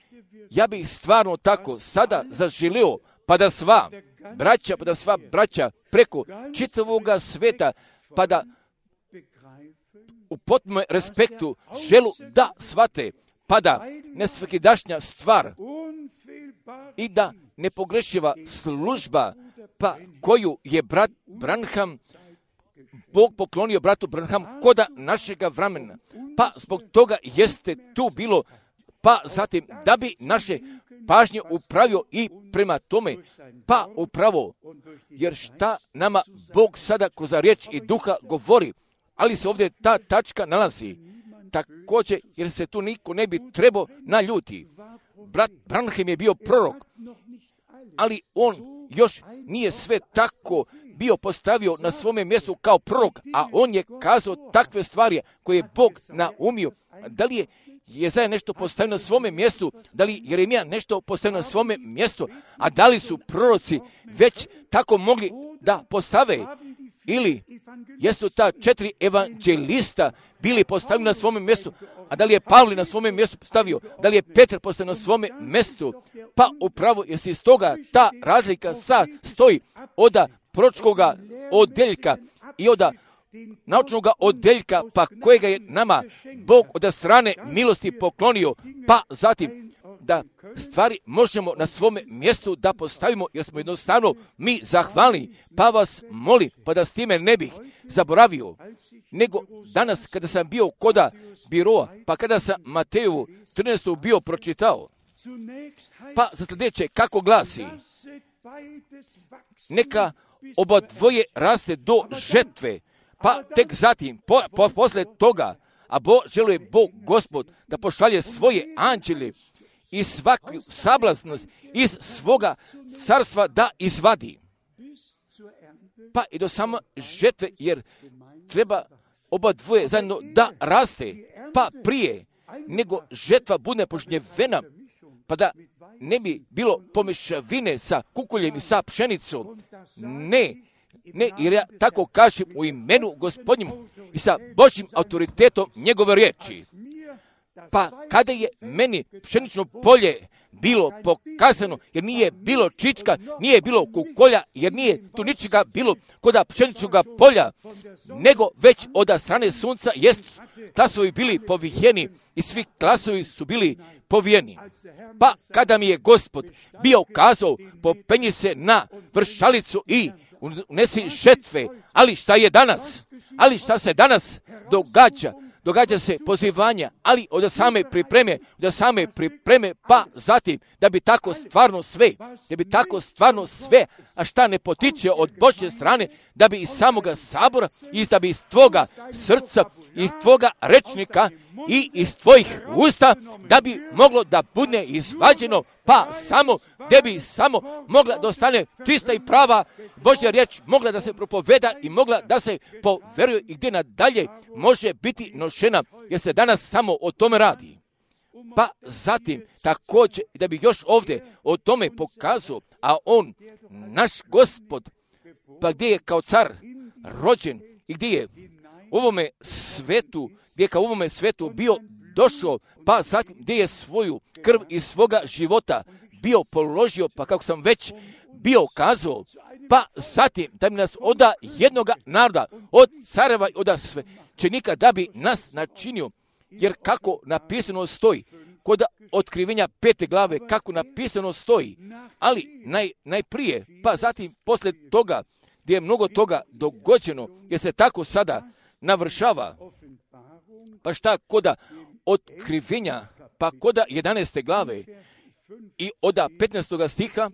ja bih stvarno tako sada zaželio, pa da sva braća, pa da sva braća preko čitavoga sveta, pa da u potpunom respektu želu da shvate, pa da nesvakidašnja stvar i da nepogrešiva služba, pa koju je brat Branham, Bog poklonio bratu Branham koda našega vremena. Pa zbog toga jeste tu bilo, pa zatim da bi naše pažnje upravio i prema tome, pa upravo, jer šta nama Bog sada kroz riječ i duha govori, ali se ovdje ta tačka nalazi. Također, jer se tu niko ne bi trebao naljuti. Brat Branham je bio prorok, ali on još nije sve tako bio postavio na svome mjestu kao prorok, a on je kazao takve stvari koje je Bog naumio. Da li je Jezaja nešto postavio na svome mjestu, da li Jeremija nešto postavio na svome mjestu, a da li su proroci već tako mogli da postave, ili jesu ta četiri evanđelista bili postavljeni na svome mjestu, a da li je Pavle na svome mjestu postavio, da li je Petar postavio na svome mjestu, pa upravo jer se iz toga ta razlika sa stoji od proročkoga odeljka i od naučnog odeljka, pa kojega je nama Bog od strane milosti poklonio, pa zatim da stvari možemo na svome mjestu da postavimo, jer smo jednostavno mi zahvalni, pa vas molim, pa da s time ne bih zaboravio, nego danas kada sam bio koda biroa, pa kada sam Matejovu trinaestu bio pročitao, pa za sljedeće kako glasi, neka oba dvoje raste do žetve, pa tek zatim, po, po, posle toga, a Bo, želuje Bog Gospod da pošalje svoje anđele i svaku sablaznost iz svoga carstva da izvadi. Pa i do samo žetve, jer treba oba dvoje zajedno da raste, pa prije nego žetva bude požnjevena, pa da ne bi bilo pomešavine sa kukuljem i sa pšenicom. Ne, ne, jer ja tako kažem u imenu Gospodnjem i sa Božjim autoritetom njegove riječi. Pa kada je meni pšenično polje bilo pokazano, jer nije bilo čička, nije bilo kukolja, jer nije tu ničega bilo koda pšeničnog polja, nego već od strane sunca jest klasovi bili povijeni i svi klasovi su bili povijeni. Pa kada mi je Gospod bio kazao, popenji se na vršalicu i unesi žetve, ali šta je danas? Ali šta se danas događa? Događa se pozivanja, ali od same pripreme, od same pripreme, pa zatim da bi tako stvarno sve, da bi tako stvarno sve, a šta ne potiče od Božje strane, da bi iz samoga sabora, i da bi iz tvoga srca, iz tvoga rečnika i iz tvojih usta, da bi moglo da bude izvađeno, pa samo, da bi samo mogla da ostane čista i prava Božja riječ, mogla da se propoveda i mogla da se poveruje i gdje nadalje može biti nošena, jer se danas samo o tome radi. Pa zatim također da bi još ovdje o tome pokazao, a on, naš Gospod, pa gdje je kao car rođen i gdje je u ovome svetu, gdje je kao u ovome svetu bio došao, pa zatim gdje je svoju krv iz svoga života bio položio, pa kako sam već bio kazao, pa zatim da bi nas od jednoga naroda, od careva i od svećenika, da bi nas načinio, jer kako napisano stoji, kod otkrivenja pete glave, kako napisano stoji, ali naj, najprije, pa zatim posle toga, gdje je mnogo toga dogođeno, jer se tako sada navršava, pa šta koda otkrivenja, pa koda jedanaeste glave i od petnaestoga stiha,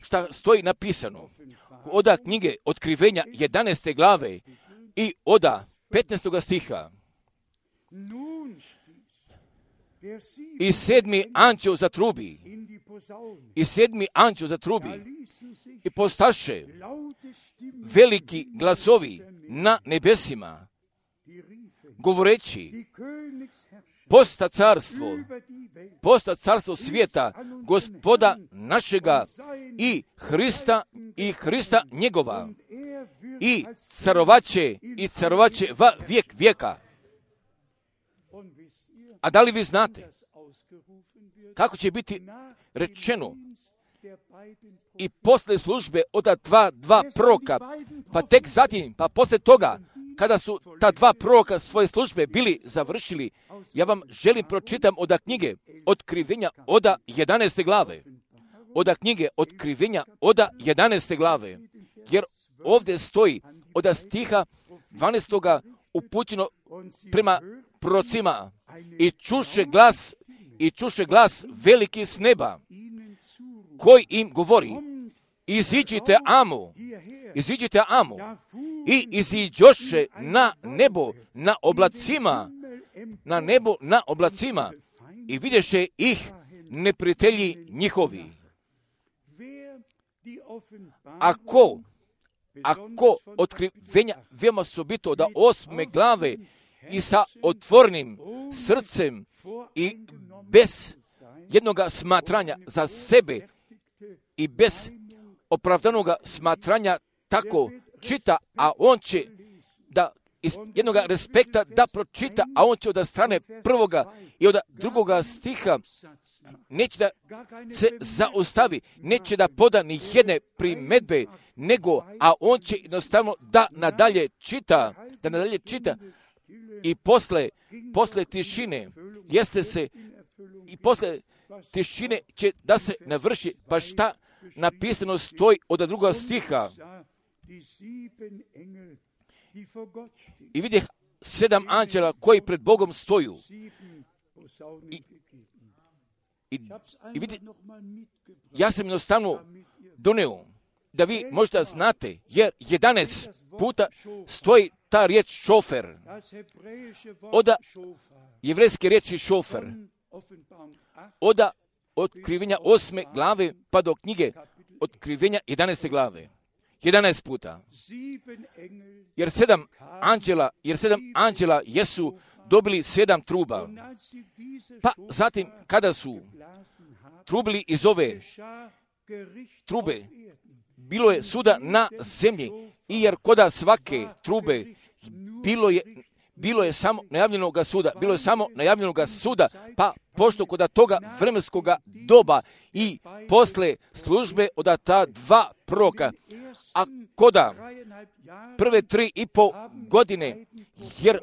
šta stoji napisano, od knjige otkrivenja jedanaeste glave i od petnaestoga stiha. I sedmi anđeo zatrubi, i sedmi anđeo zatrubi, i postaše veliki glasovi na nebesima, govoreći, posta carstvo, posta carstvo svijeta, Gospoda našega i Hrista i Hrista njegova, i carovaće i carovaće va vijek vijeka. A da li vi znate kako će biti rečeno i posle službe od dva, dva proroka, pa tek zatim, pa posle toga, kada su ta dva proroka svoje službe bili završili, ja vam želim pročitam od knjige otkrivenja od jedanaeste glave. Od knjige otkrivenja od jedanaeste glave. Jer ovdje stoji od stiha dvanaestoga upućeno prema prorocima, i čuše glas, i čuše glas veliki s neba, koji im govori, iziđite amo, iziđite amo, i iziđoše na nebo, na oblacima, na nebo, na oblacima, i vidješe ih neprijatelji njihovi. Ako, ako otkrivenja veoma sobito da osme glave i sa otvornim srcem i bez jednoga smatranja za sebe i bez opravdanog smatranja tako čita, a on će da iz jednog respekta da pročita, a on će od strane prvoga i od drugoga stiha neće da se zaustavi, neće da poda ni jedne primedbe, nego, a on će jednostavno da nadalje čita, da nadalje čita i posle, posle tišine, jeste se, i posle tišine će da se navrši, pa šta napisano stoji od druga stiha. I vidjeh sedam anđela koji pred Bogom stoju. I, i, i vidje, ja sam jednostavno doneo da vi možda znate, jer jedanaest puta stoji ta riječ šofer. Oda jevrejske riječi šofer. Oda otkrivenja osme glave pa do knjige otkrivenja jedanaeste glave. jedanaest puta. Jer sedam anđela, jer sedam anđela jesu dobili sedam truba. Pa zatim kada su trubili iz ove trube, bilo je suda na zemlji, i jer koda svake trube bilo je bilo je samo najavljenoga suda, bilo je samo najavljenoga suda, pa pošto koda toga vremenskoga doba i posle službe od ta dva proroka, a koda prve tri i po godine, jer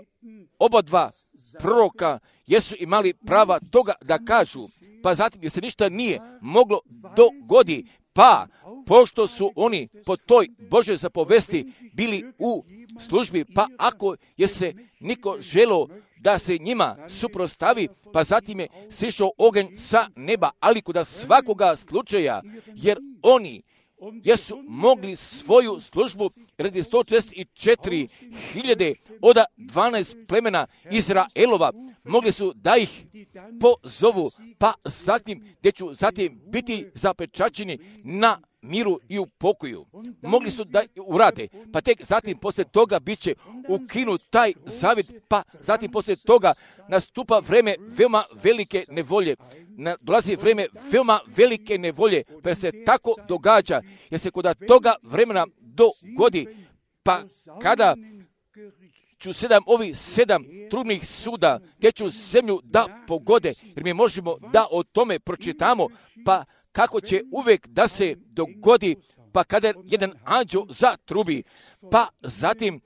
oba dva proroka jesu imali prava toga da kažu, pa zatim jer se ništa nije moglo dogodi, pa pošto su oni po toj Božoj zapovesti bili u službi, pa ako je se niko želo da se njima suprostavi, pa zatim je sišao oganj sa neba, ali kod svakoga slučaja, jer oni jesu mogli svoju službu radi sto četrdeset četiri hiljade od dvanaest plemena Izraelova, mogli su da ih pozovu, pa zatim gdje ću zatim biti zapečaćeni na miru i u pokoju. Mogli su da urade, pa tek zatim poslije toga bit će ukinut taj zavjet, pa zatim poslije toga nastupa vreme veoma velike nevolje. Na, dolazi vreme veoma velike nevolje, pa se tako događa, jer se kod toga vremena dogodi, pa kada ću sedam ovih sedam trudnih suda, gdje ću zemlju da pogode, jer mi možemo da o tome pročitamo, pa kako će uvijek da se dogodi, pa kada jedan anđeo zatrubi, pa zatim,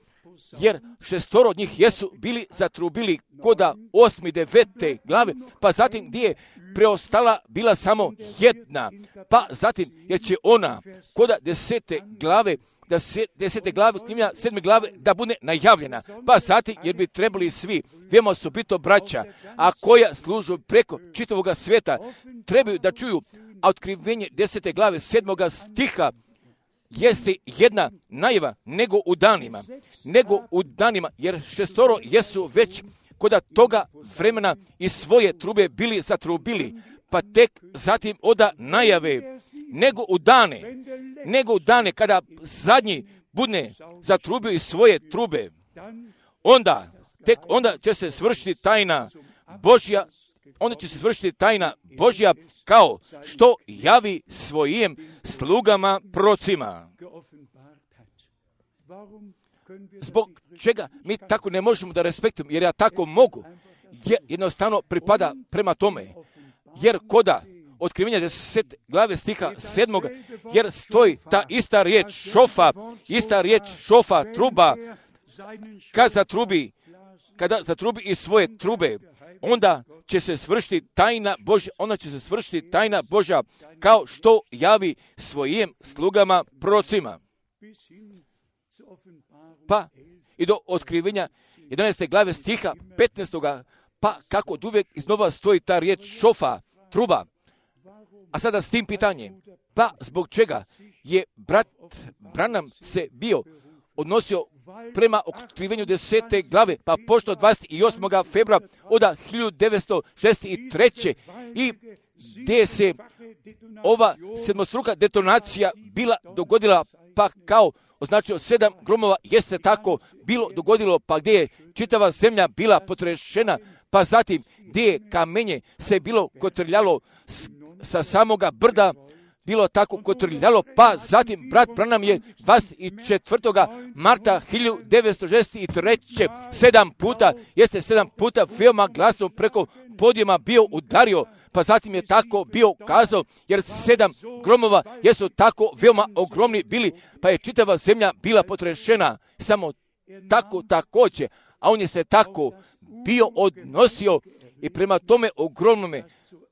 jer šestoro od njih jesu bili zatrubili koda osmi, devete glave, pa zatim gdje je preostala bila samo jedna, pa zatim, jer će ona koda desete glave, da se, desete glave, knjiga sedme glave, da bude najavljena. Pa zatim, jer bi trebali svi, veoma osobito braća, a koja služu preko čitavoga svijeta, trebaju da čuju, a otkrivenje desete glave, sedmoga stiha, jeste jedna najava nego u danima, nego u danima, jer šestoro jesu već koda toga vremena i svoje trube bili zatrubili, pa tek zatim oda najave, nego u dane, nego u dane kada zadnji bude zatrubio i svoje trube, onda, tek onda će se svršiti tajna Božja, onda će se svršiti tajna Božja kao što javi svojim slugama prorocima. Zbog čega mi tako ne možemo da respektujemo, jer ja tako mogu, jer jednostavno pripada prema tome, jer koda otkrivenja deset glave stiha sedmoga, jer stoji ta ista riječ šofa, ista riječ šofa, truba, kad zatrubi, kada zatrubi iz svoje trube, onda će se svršiti tajna Božja, onda će se svršiti tajna Božja kao što javi svojim slugama prorocima. Pa i do otkrivenja jedanaeste glave stiha petnaestoga, pa kako od uvijek iznova stoji ta riječ šofa, truba. A sada s tim pitanjem, pa zbog čega je brat Branham se bio odnosio prema otkrivenju desete glave, pa pošto dvadeset osmog februara od hiljadu devetsto šezdeset treće i gdje se ova sedmostruka detonacija bila dogodila, pa kao označio sedam gromova, jeste tako bilo dogodilo, pa gdje je čitava zemlja bila potrešena, pa zatim gdje je kamenje se bilo kotrljalo sa samoga brda, bilo tako kotrljalo, pa zatim brat Branham je dvadeset četvrtog marta hiljadu devetsto šezdeset treće sedam puta, jeste sedam puta veoma glasno preko podijuma bio udario, pa zatim je tako bio kazao, jer sedam gromova jesu tako veoma ogromni bili, pa je čitava zemlja bila potrešena, samo tako također, a on je se tako bio odnosio i prema tome ogromnome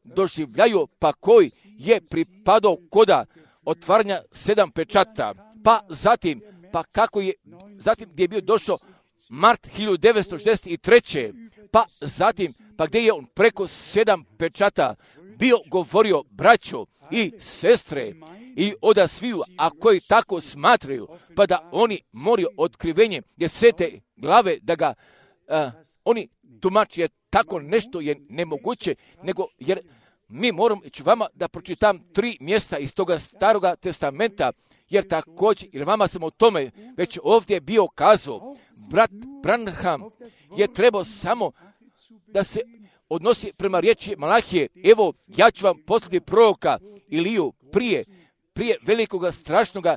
doživljaju, pa koji je pripadao koda otvaranja sedam pečata, pa zatim, pa kako je, zatim gdje je bio došao mart hiljadu devetsto šezdeset treće. pa zatim, pa gdje je on preko sedam pečata bio govorio braćo i sestre i oda sviju, a koji tako smatraju, pa da oni moraju otkrivenje desete glave, da ga a, oni tumači, jer tako nešto je nemoguće, nego jer mi moramo ići vama da pročitam tri mjesta iz toga staroga testamenta, jer također, jer vama sam o tome već ovdje bio kazao, brat Branham je trebao samo da se odnosi prema riječi Malahije, evo ja ću vam poslati proroka Iliju prije, prije velikoga strašnoga,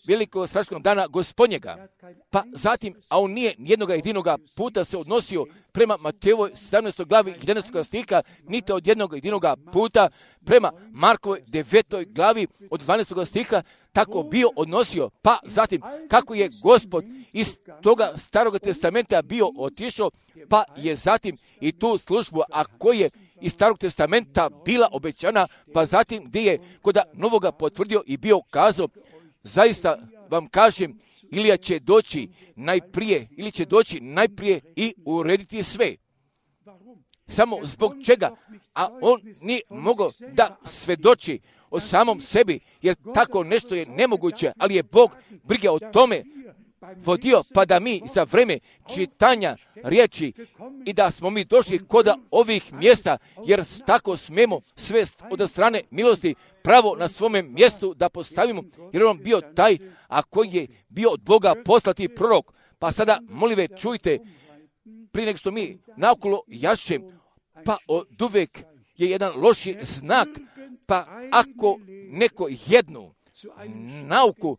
velikog strašnog dana gospodnjega. Pa zatim, a on nije nijednoga jedinoga puta se odnosio prema Matejovoj sedamnaestoj glavi jedanaestog stiha, niti od jednog jedinoga puta prema Markovoj devetoj glavi od dvanaestog stiha, tako bio odnosio. Pa zatim, kako je Gospod iz toga staroga testamenta bio otišao, pa je zatim i tu službu, a koji je iz starog testamenta bila obećana, pa zatim gdje je kod novoga potvrdio i bio kazao, zaista vam kažem, Ilija će doći najprije, ili će doći najprije i urediti sve. Samo zbog čega? A on nije mogao da svedoči o samom sebi, jer tako nešto je nemoguće, ali je Bog brige o tome vodio, pa da mi za vreme čitanja riječi i da smo mi došli kod ovih mjesta, jer tako smemo sve od strane milosti pravo na svome mjestu da postavimo, jer on bio taj, a koji je bio od Boga poslati prorok. Pa sada, molive, čujte, prije nego što mi naokolo jašem, pa od uvek je jedan loši znak, pa ako neko jednu nauku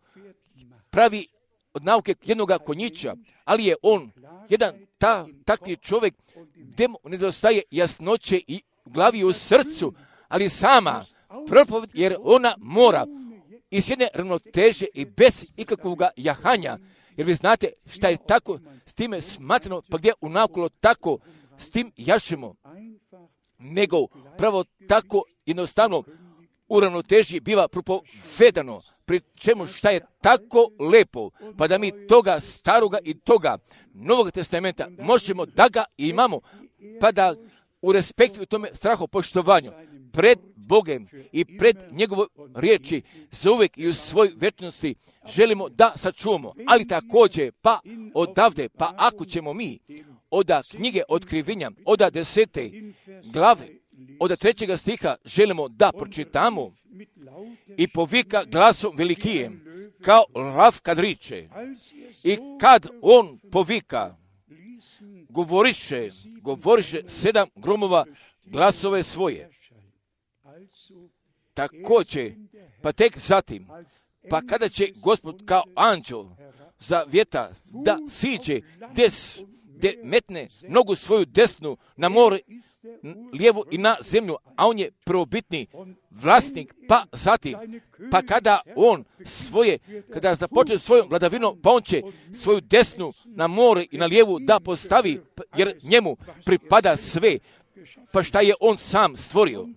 pravi od nauke jednoga konjića, ali je on jedan ta, takvi čovjek gdje mu nedostaje jasnoće i u glavi i u srcu, ali sama propoved, jer ona mora iz jedne ravnoteže i bez ikakvog jahanja, jer vi znate šta je tako s time smatrano, pa gdje unaokolo tako s tim jašemo, nego pravo tako jednostavno u ravnoteži biva propovedano, pri čemu šta je tako lepo, pa da mi toga staroga i toga Novog testamenta možemo da ga imamo, pa da u respektu i tome strahopoštovanju pred Bogem i pred njegovoj riječi za uvijek i u svoj večnosti želimo da sačuvamo, ali također pa odavde, pa ako ćemo mi oda knjige otkrivenja, oda desete glave, oda trećega stiha želimo da pročitamo i povika glasom velikijem, kao lav kad riče. I kad on povika, govoriše, govoriše sedam gromova glasove svoje. Također, pa tek zatim, pa kada će Gospod kao anđel za vjeta da siđe des, gdje metne nogu svoju desnu na more, lijevu i na zemlju, a on je prvobitni vlasnik, pa zatim, pa kada on svoje, kada započne svojom vladavinom, pa on će svoju desnu na more i na lijevu da postavi, jer njemu pripada sve, pa šta je on sam stvorio.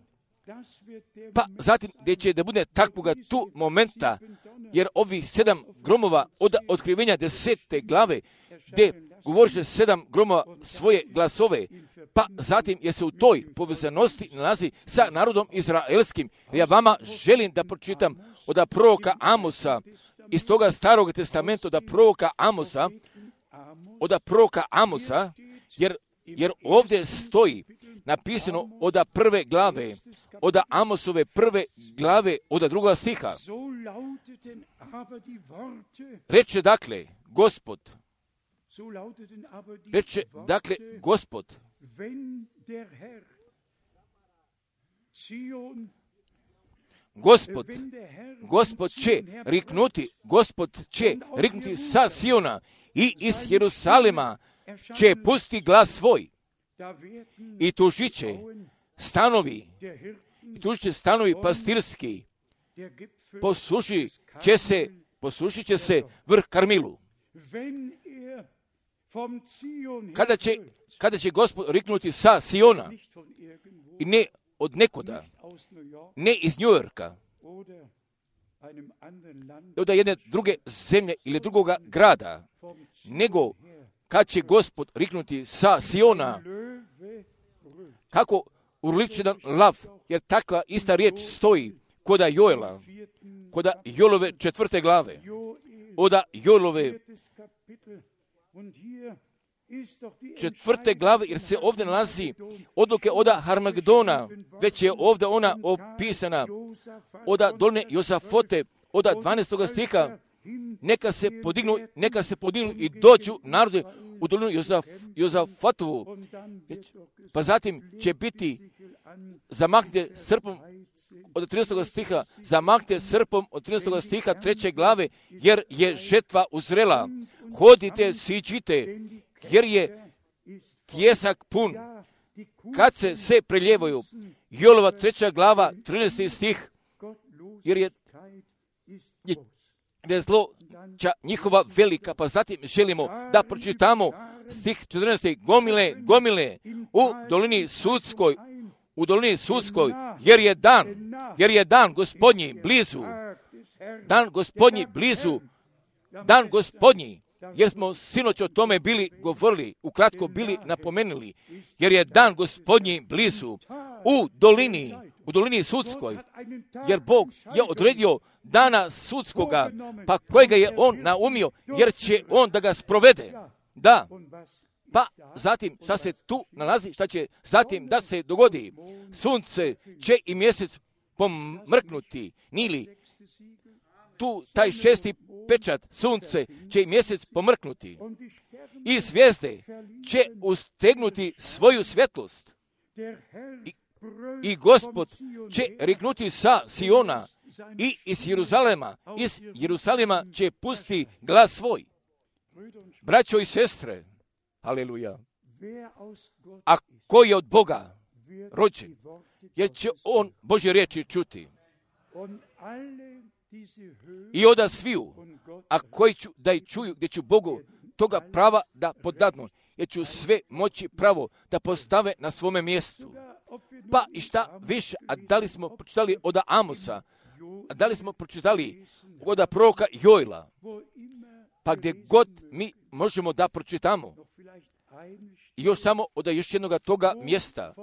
Pa zatim gdje će da bude takvoga tu momenta, jer ovih sedam gromova od otkrivenja desete glave, gdje govoriše sedam gromova svoje glasove, pa zatim je se u toj povezanosti nalazi sa narodom izraelskim. Ja vama želim da pročitam od proroka Amosa, iz toga starog testamenta od proroka Amosa, od proroka Amosa, jer, jer ovdje stoji napisano od prve glave, od Amosove prve glave, od druga stiha. Reče dakle, Gospod, reče dakle, Gospod, Gospod, Gospod će riknuti, Gospod će riknuti sa Siona i iz Jerusalema će pusti glas svoj i tužit će stanovi, i tu će stanovi pastirski, posušit će se, posušit će se vrh Karmilu. Kada će, kada će Gospod riknuti sa Siona, i ne od nekoda, ne iz New Yorka, od jedne druge zemlje ili drugoga grada, nego kad će Gospod riknuti sa Siona, kako urličen lav, jer takva ista riječ stoji koda Joela, koda Joelove četvrte glave, oda Joelove četvrte glave, jer se ovdje nalazi odluke oda Harmagedona, već je ovdje ona opisana, oda doline Jozafote, oda dvanaestog stiha, neka se podignu, neka se podignu i dođu narode u dolinu Jozaf, Jozafatovu, pa zatim će biti zamaknite srpom od trinaestog stiha, zamaknite srpom od trinaestog stiha treće glave, jer je žetva uzrela. Hodite, siđite, jer je tjesak pun. Kad se se preljevaju, Joelova treća glava, trinaesti stih, jer je, je, je zloća njihova velika, pa zatim želimo da pročitamo stih četrnaesti. Gomile, gomile, u dolini sudskoj, u dolini sudskoj, jer je dan, jer je dan Gospodnji blizu, dan Gospodnji blizu, dan Gospodnji, jer smo sinoć o tome bili govorili, ukratko bili napomenuli, jer je dan Gospodnji blizu, u dolini, u dolini sudskoj, jer Bog je odredio dana sudskoga, pa kojega je On naumio, jer će On da ga sprovede. Da, pa zatim šta se tu nalazi, šta će zatim da se dogodi? Sunce će i mjesec pomrknuti, nili tu taj šesti pečat, sunce će i mjesec pomrknuti i zvijezde će ustegnuti svoju svjetlost i, i Gospod će riknuti sa Siona i iz Jeruzalema, iz Jeruzalema će pusti glas svoj. Braćo i sestre, haleluja, a ko je od Boga rođen, jer će on Božje riječi čuti. I oda sviju, a koji ću da i čuju, gdje ću Bogu toga prava da podadnu, jer ću sve moći pravo da postave na svome mjestu. Pa i šta više, a da li smo pročitali od Amosa, a da li smo pročitali od proroka Joela, pa gdje god mi možemo da pročitamo, i još samo od još jednog toga mjesta,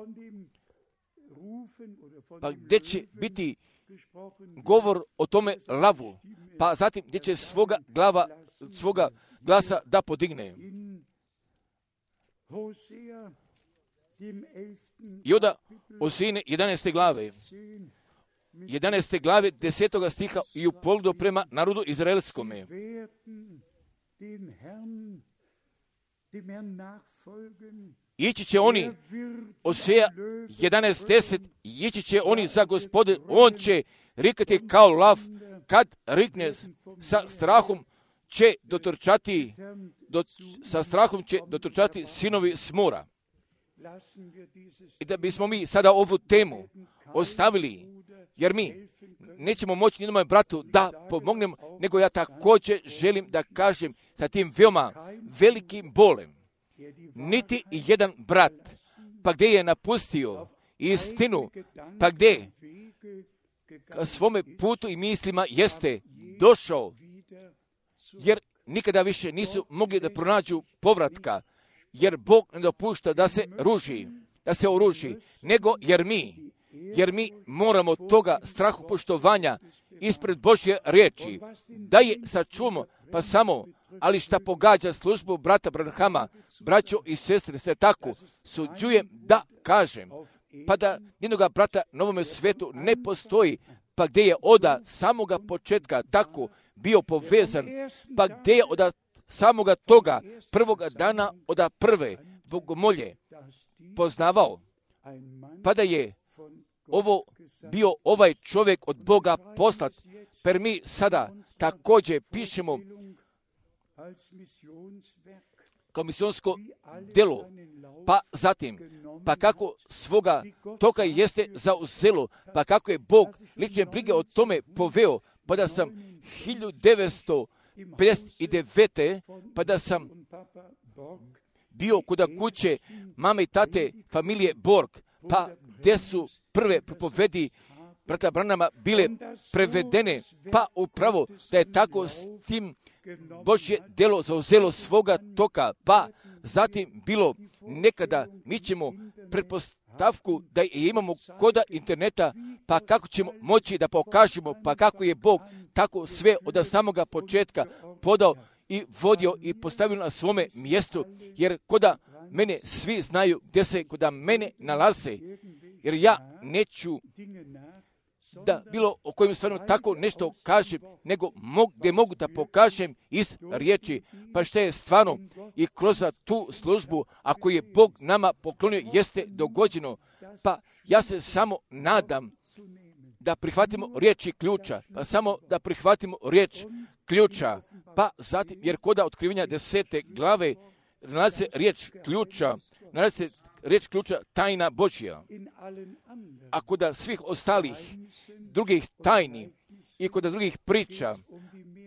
pa gdje će biti govor o tome lavu, pa zatim gdje će svoga glava, svoga glasa da podigne. I onda Osejine jedanaeste glave, jedanaeste glave desetoga stiha i u pogledu prema narodu izraelskome. Ići će oni, Oseja jedanaest deset, ići će oni za Gospodin, on će rikati kao lav, kad rikne sa strahom će dotrčati, do, sa strahom će dotrčati sinovi s mora. I da bismo mi sada ovu temu ostavili, jer mi nećemo moći nijednom bratu da pomognemo, nego ja također želim da kažem sa tim veoma velikim bolem. Niti jedan brat, pa gdje je napustio istinu, pa gdje ka svome putu i mislima jeste došao, jer nikada više nisu mogli da pronađu povratka, jer Bog ne dopušta da se ruži, da se oruži, nego jer mi, jer mi moramo toga strahu poštovanja ispred Božje riječi, da je sačuvamo, pa samo, ali šta pogađa službu brata Branhama, braćo i sestre, se tako suđujem da kažem, pa da jednoga brata na ovome svetu ne postoji, pa gdje je oda samoga početka tako bio povezan, pa gdje je oda samoga toga prvoga dana oda prve bogomolje poznavao, pa da je ovo bio ovaj čovjek od Boga poslat, per mi sada također pišemo kao misionsko delo, pa zatim, pa kako svoga toka jeste zauzelo, pa kako je Bog lične brige o tome poveo, pa da sam hiljadu devetsto pedeset devete. pa da sam bio kod kuće mame i tate familije Borg, pa gdje su prve propovedi brata Branhama bile prevedene, pa upravo da je tako s tim Božje delo zauzelo svoga toka, pa zatim bilo nekada mi ćemo pretpostavku da imamo koda interneta, pa kako ćemo moći da pokažemo, pa kako je Bog tako sve od samoga početka podao i vodio i postavio na svome mjestu, jer koda mene svi znaju gdje se koda mene nalaze, jer ja neću da bilo o kojem stvarno tako nešto kažem, nego mog, gdje mogu da pokažem iz riječi, pa što je stvarno i kroz tu službu, ako je Bog nama poklonio, jeste dogođeno, pa ja se samo nadam da prihvatimo riječi ključa, pa samo da prihvatimo riječ ključa, pa zatim, jer koda otkrivenja desete glave nalazi se riječ ključa, nalazi se riječ ključa tajna Božja. A kod svih ostalih drugih tajni i kod drugih priča,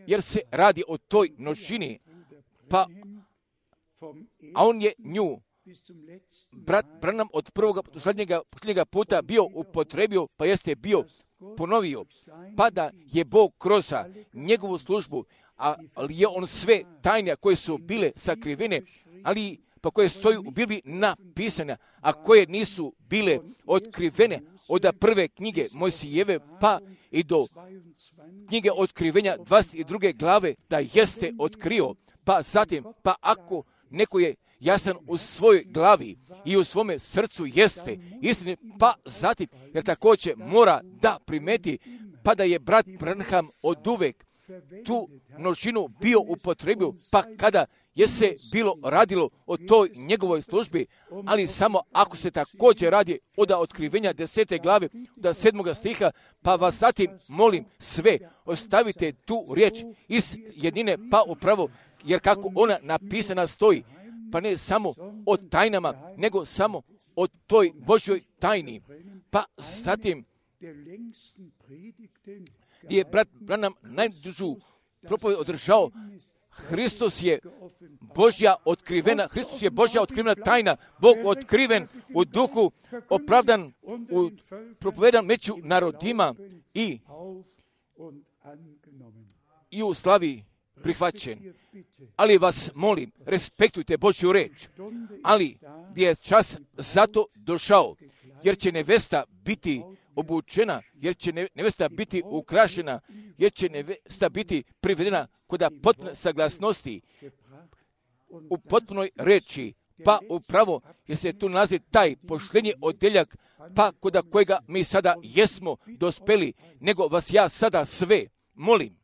jer se radi o toj množini, pa a on je nju, brat Branham od prvog do posljednjega puta bio upotrebio, pa jeste bio ponovio, pa da je Bog kroz njegovu službu, ali je on sve tajne koje su bile sakrivene, ali pa koje stoju u Bibliji napisane, a koje nisu bile otkrivene od prve knjige Mojsijeve pa i do knjige otkrivenja dvadeset druge glave, da jeste otkrio, pa zatim, pa ako neko je jasan u svojoj glavi i u svome srcu jeste istine, pa zatim, jer također mora da primeti, pa da je brat Branham oduvek tu množinu bio upotrebio, pa kada je se bilo radilo o toj njegovoj službi, ali samo ako se također radi od otkrivenja desete glave, od sedmoga stiha, pa vas zatim molim sve, ostavite tu riječ iz jednine, pa upravo, jer kako ona napisana stoji, pa ne samo o tajnama, nego samo o toj Božjoj tajni. Pa zatim, gdje je brat Branham najdužu propoved održao, Hristos je Božja otkrivena, Hristos je Božja otkrivena tajna, Bog otkriven u duhu, opravdan, u propovedan među narodima i, i u slavi prihvaćen. Ali vas molim, respektujte Božju reč, ali gdje je čas zato došao, jer će nevesta biti obučena, jer će nevesta biti ukrašena, jer će nevesta biti privedena kod potpune saglasnosti u potpunoj reči, pa upravo jer se tu nalazi taj poštenji odjeljak, pa kod kojega mi sada jesmo dospeli, nego vas ja sada sve molim,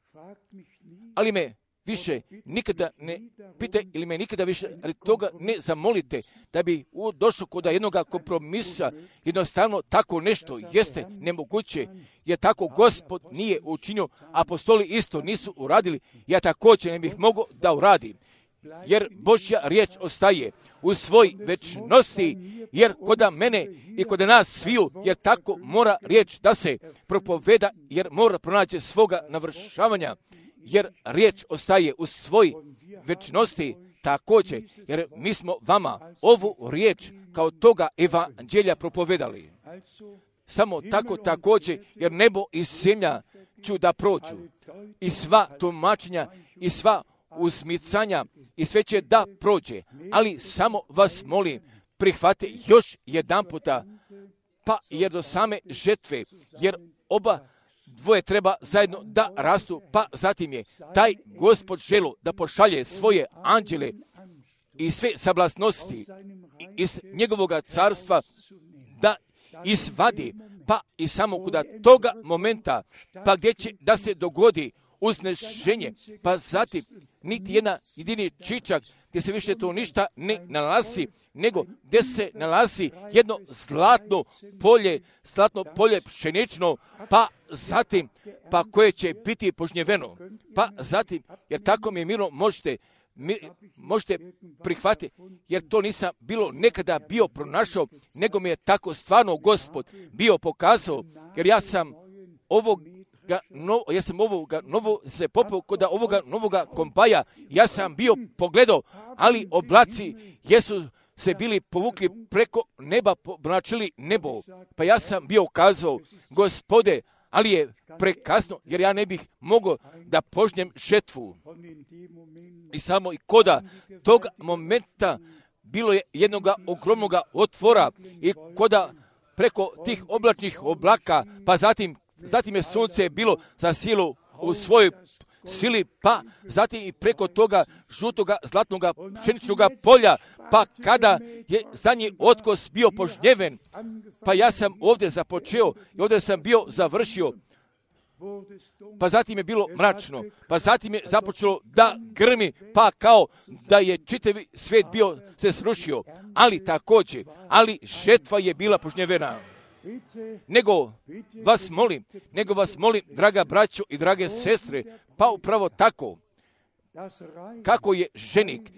ali me više nikada ne pite ili me nikada više ali toga ne zamolite da bi došlo kod jednog kompromisa. Jednostavno tako nešto jeste nemoguće, jer tako Gospod nije učinio, apostoli isto nisu uradili, ja također ne bih mogao da uradim, jer Božja riječ ostaje u svoj večnosti, jer kod mene i kod nas sviju, jer tako mora riječ da se propoveda, jer mora pronaći svoga navršavanja, jer riječ ostaje u svoj večnosti također, jer mi smo vama ovu riječ kao toga evanđelja propovedali. Samo tako također, jer nebo i zemlja ću da prođu, i sva tumačenja, i sva usmicanja, i sve će da prođe, ali samo vas molim, prihvate još jedan puta, pa jer do same žetve, jer oba dvoje treba zajedno da rastu, pa zatim je taj Gospod želo da pošalje svoje anđele i sve sablasnosti iz njegovog carstva da izvadi, pa i samo kod toga momenta, pa gdje će da se dogodi uznešenje, pa zatim niti jedna jedini čičak gdje se više to ništa ne nalazi, nego gdje se nalazi jedno zlatno polje, zlatno polje pšenično, pa zatim, pa koje će biti požnjeveno, pa zatim, jer tako mi mirno možete mi možete prihvatiti, jer to nisam bilo nekada bio pronašao, nego mi je tako stvarno Gospod bio pokazao, jer ja sam ovoga, no, ja sam ovoga novo se popao kod ovoga novoga kompaja, ja sam bio pogledao, ali oblaci jesu se bili povukli preko neba, pomračili nebo, pa ja sam bio kazao, Gospode, ali je prekasno, jer ja ne bih mogao da požnjem žetvu. I samo i koda tog momenta bilo je jednoga ogromnoga otvora i koda preko tih oblačnih oblaka, pa zatim, zatim je sunce bilo za silu u svojoj sili, pa zatim i preko toga žutoga, zlatnoga, pšeničnoga polja, pa kada je zadnji otkos bio požnjeven, pa ja sam ovdje započeo i ovdje sam bio završio, pa zatim je bilo mračno, pa zatim je započelo da grmi, pa kao da je čitavi svijet bio se srušio, ali također, ali žetva je bila požnjevena. Nego vas molim, nego vas molim, draga braćo i drage sestre, pa upravo tako, kako je ženik,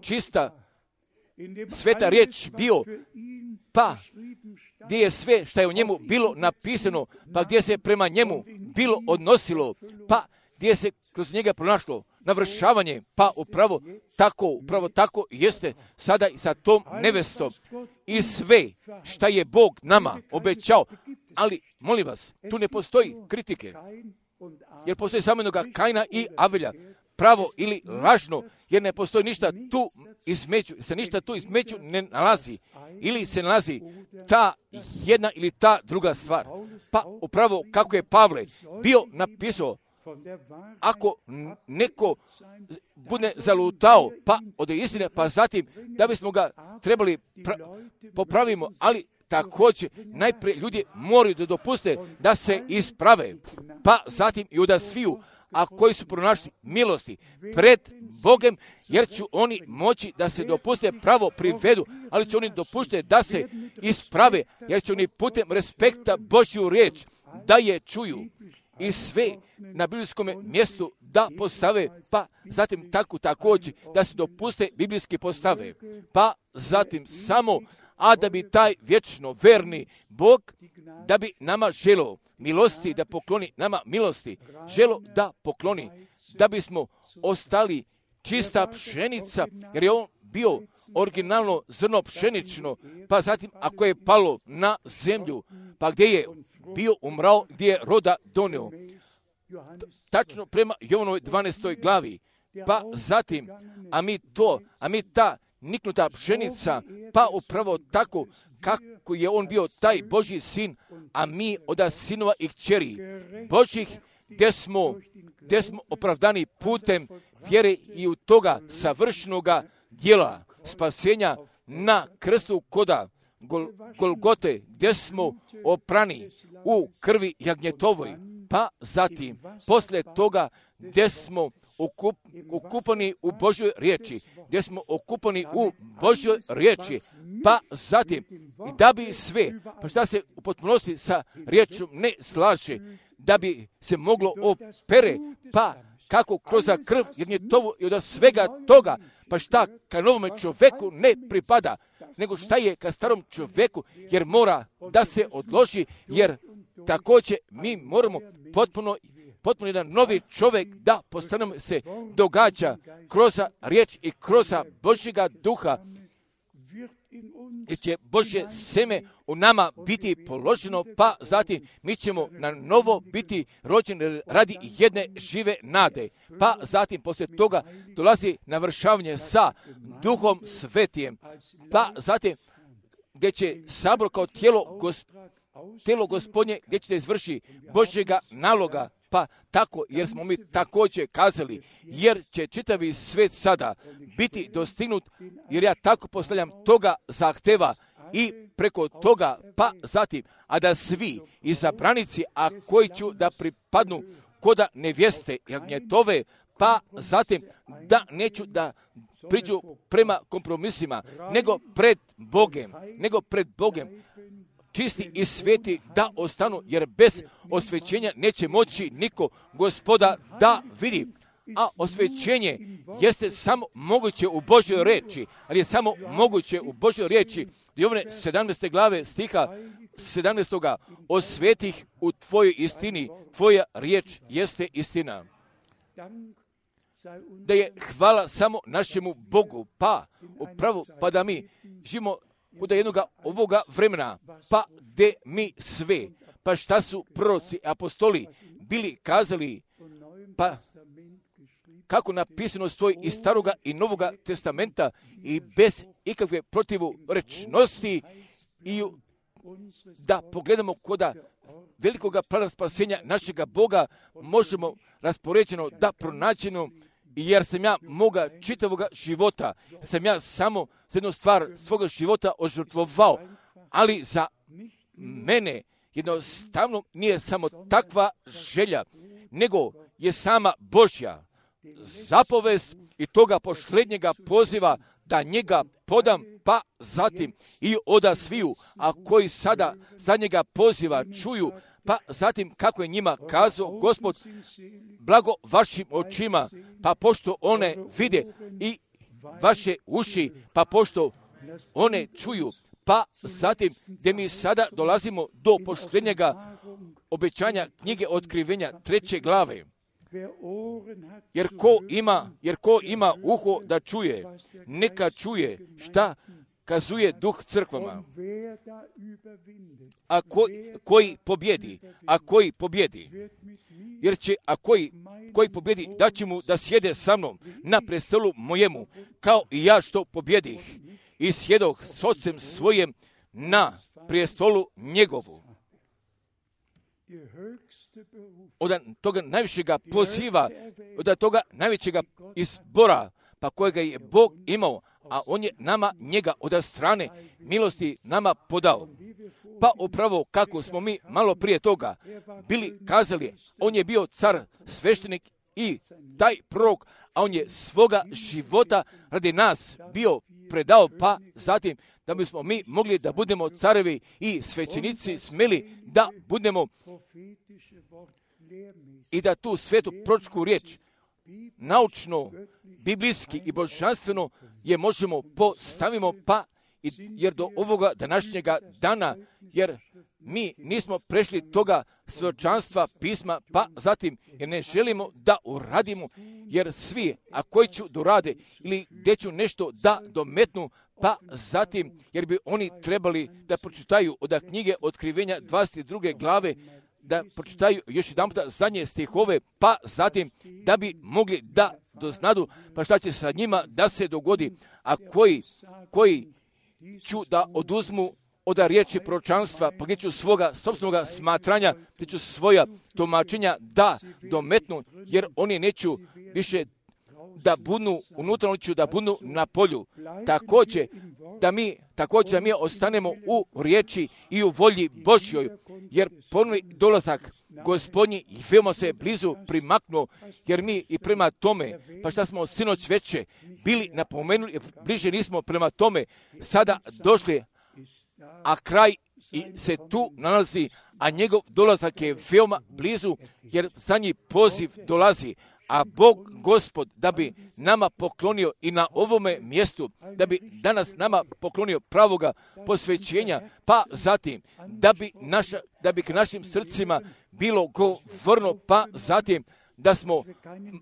čista, sveta riječ bio, pa gdje je sve što je u njemu bilo napisano, pa gdje se prema njemu bilo odnosilo, pa gdje se kroz njega pronašlo navršavanje, pa upravo tako, upravo tako jeste sada i sa tom nevestom. I sve što je Bog nama obećao, ali molim vas, tu ne postoji kritike, jer postoji samo jednoga Kaina i Avelja, pravo ili lažno, jer ne postoji ništa tu između, se ništa tu između ne nalazi, ili se nalazi ta jedna ili ta druga stvar. Pa upravo kako je Pavle bio napisao, ako neko bude zalutao, pa od istine, pa zatim da bismo ga trebali pra- popravimo, ali također najprije ljudi moraju da dopuste da se isprave, pa zatim i da sviju, a koji su pronašli milosti pred Bogem, jer će oni moći da se dopuste pravo privedu, ali će oni dopušte da se isprave, jer će oni putem respekta Božju riječ da je čuju i sve na biblijskom mjestu da postave, pa zatim tako također da se dopuste biblijski postave, pa zatim samo, a da bi taj vječno verni Bog, da bi nama želo milosti, da pokloni nama milosti, želo da pokloni, da bismo ostali čista pšenica, jer je on bio originalno zrno pšenično, pa zatim ako je palo na zemlju, pa gdje je bio umrao, gdje je roda donio. Tačno prema Jovanovoj dvanaestoj glavi, pa zatim, a mi to, a mi ta niknuta pšenica, pa upravo tako kako je on bio taj Božji sin, a mi od sinova i kćeri Božjih, gdje smo, gdje smo opravdani putem vjere i u toga savršenoga djela spasenja na krstu koda Gol, Golgote, gdje smo oprani u krvi jagnjetovoj, pa zatim poslije toga gdje smo okup, okupani u Božjoj riječi, gdje smo okupani u Božjoj riječi, pa zatim i da bi sve, pa šta se u potpunosti sa riječom ne slaže, da bi se moglo opere, pa kako kroz krv jagnjetovu i od svega toga, pa šta ka novome čovjeku ne pripada, nego šta je ka starom čovjeku, jer mora da se odloži, jer također mi moramo potpuno, potpuno jedan novi čovjek da postanemo se događa kroz riječ i kroz Božjega duha, jer će Božje seme u nama biti položeno, pa zatim mi ćemo na novo biti rođeni radi jedne žive nade. Pa zatim poslije toga dolazi navršavanje sa Duhom Svetijem, pa zatim gdje će sabor kao tijelo, gosp, tijelo Gospodnje, gdje će izvrši Božjega naloga, pa tako, jer smo mi također kazali, jer će čitavi svijet sada biti dostignut, jer ja tako postavljam toga zahteva i preko toga, pa zatim, a da svi izabranici, a koji ću da pripadnu koda nevjeste jagnjetove, pa zatim da neću da priđu prema kompromisima, nego pred Bogem, nego pred Bogem, čisti i sveti da ostanu, jer bez osvećenja neće moći niko Gospoda da vidi. a osvećenje jeste samo moguće u Božjoj riječi, ali je samo moguće u Božjoj riječi. Jovane sedamnaeste glave stiha sedamnaestoga osveti ih u tvojoj istini, tvoja riječ jeste istina. Da je hvala samo našemu Bogu, pa upravo pa da mi živimo kod jednoga ovoga vremena, pa gdje mi sve, pa šta su proroci, apostoli bili kazali, pa kako napisano stoji iz Staroga i Novoga testamenta i bez ikakve protivrečnosti i da pogledamo koda velikoga plana spasenja našega Boga možemo raspoređeno da pronaćeno, jer sam ja moga čitavoga života, sam ja samo za jednu stvar svoga života ožrtvovao, ali za mene jednostavno nije samo takva želja, nego je sama Božja zapovest i toga posljednjega poziva da njega podam, pa zatim i oda sviju, a koji sada za njega poziva čuju, pa zatim kako je njima kazao Gospod, blago vašim očima, pa pošto one vide i vaše uši, pa pošto one čuju, pa zatim gdje mi sada dolazimo do posljednjega obećanja knjige Otkrivenja treće glave. Jer ko ima, jer ko ima uho da čuje, neka čuje šta kazuje duh crkvama. A ko, koji pobjedi, a koji pobjedi, jer će, a koji, koji pobjedi, da će mu da sjede sa mnom na prestolu mojemu, kao i ja što pobjedih i sjedoh s ocem svojem na prestolu njegovu. Od toga najvišega poziva, od toga najvećega izbora, pa kojega je Bog imao, a on je nama njega od strane milosti nama podao. Pa upravo kako smo mi malo prije toga bili kazali, on je bio car, sveštenik i taj prorok, a on je svoga života radi nas bio predao, pa zatim da bismo mi mogli da budemo carevi i svećenici smeli da budemo i da tu svetu proročku riječ naučno, biblijski i božanstveno je možemo postavimo, pa jer do ovoga današnjega dana, jer mi nismo prešli toga svjedočanstva pisma, pa zatim jer ne želimo da uradimo, jer svi, a koji ću dorade ili gdje ću nešto da dometnu, pa zatim jer bi oni trebali da pročitaju od knjige Otkrivenja dvadeset druge glave, da pročitaju još jedan puta zadnje stihove, pa zatim da bi mogli da doznadu pa šta će sa njima da se dogodi, a koji, koji ću da oduzmu od riječi proročanstva, pa gdje ću svoga sopstvenog smatranja, gdje ću svoja tumačenja da dometnu, jer oni neću više da budnu unutra, oni ću da budnu na polju. Također da mi, također da mi ostanemo u riječi i u volji Božjoj, jer ponovni dolazak Gospodnji i veoma se blizu primaknuo, jer mi i prema tome, pa šta smo sinoć veće bili napomenuli, bliže nismo prema tome sada došli, a kraj i se tu nalazi, a njegov dolazak je veoma blizu, jer za njih poziv dolazi, a Bog, Gospod, da bi nama poklonio i na ovome mjestu, da bi danas nama poklonio pravoga posvećenja, pa zatim da bi, naša, da bi k našim srcima bilo govorno, pa zatim da smo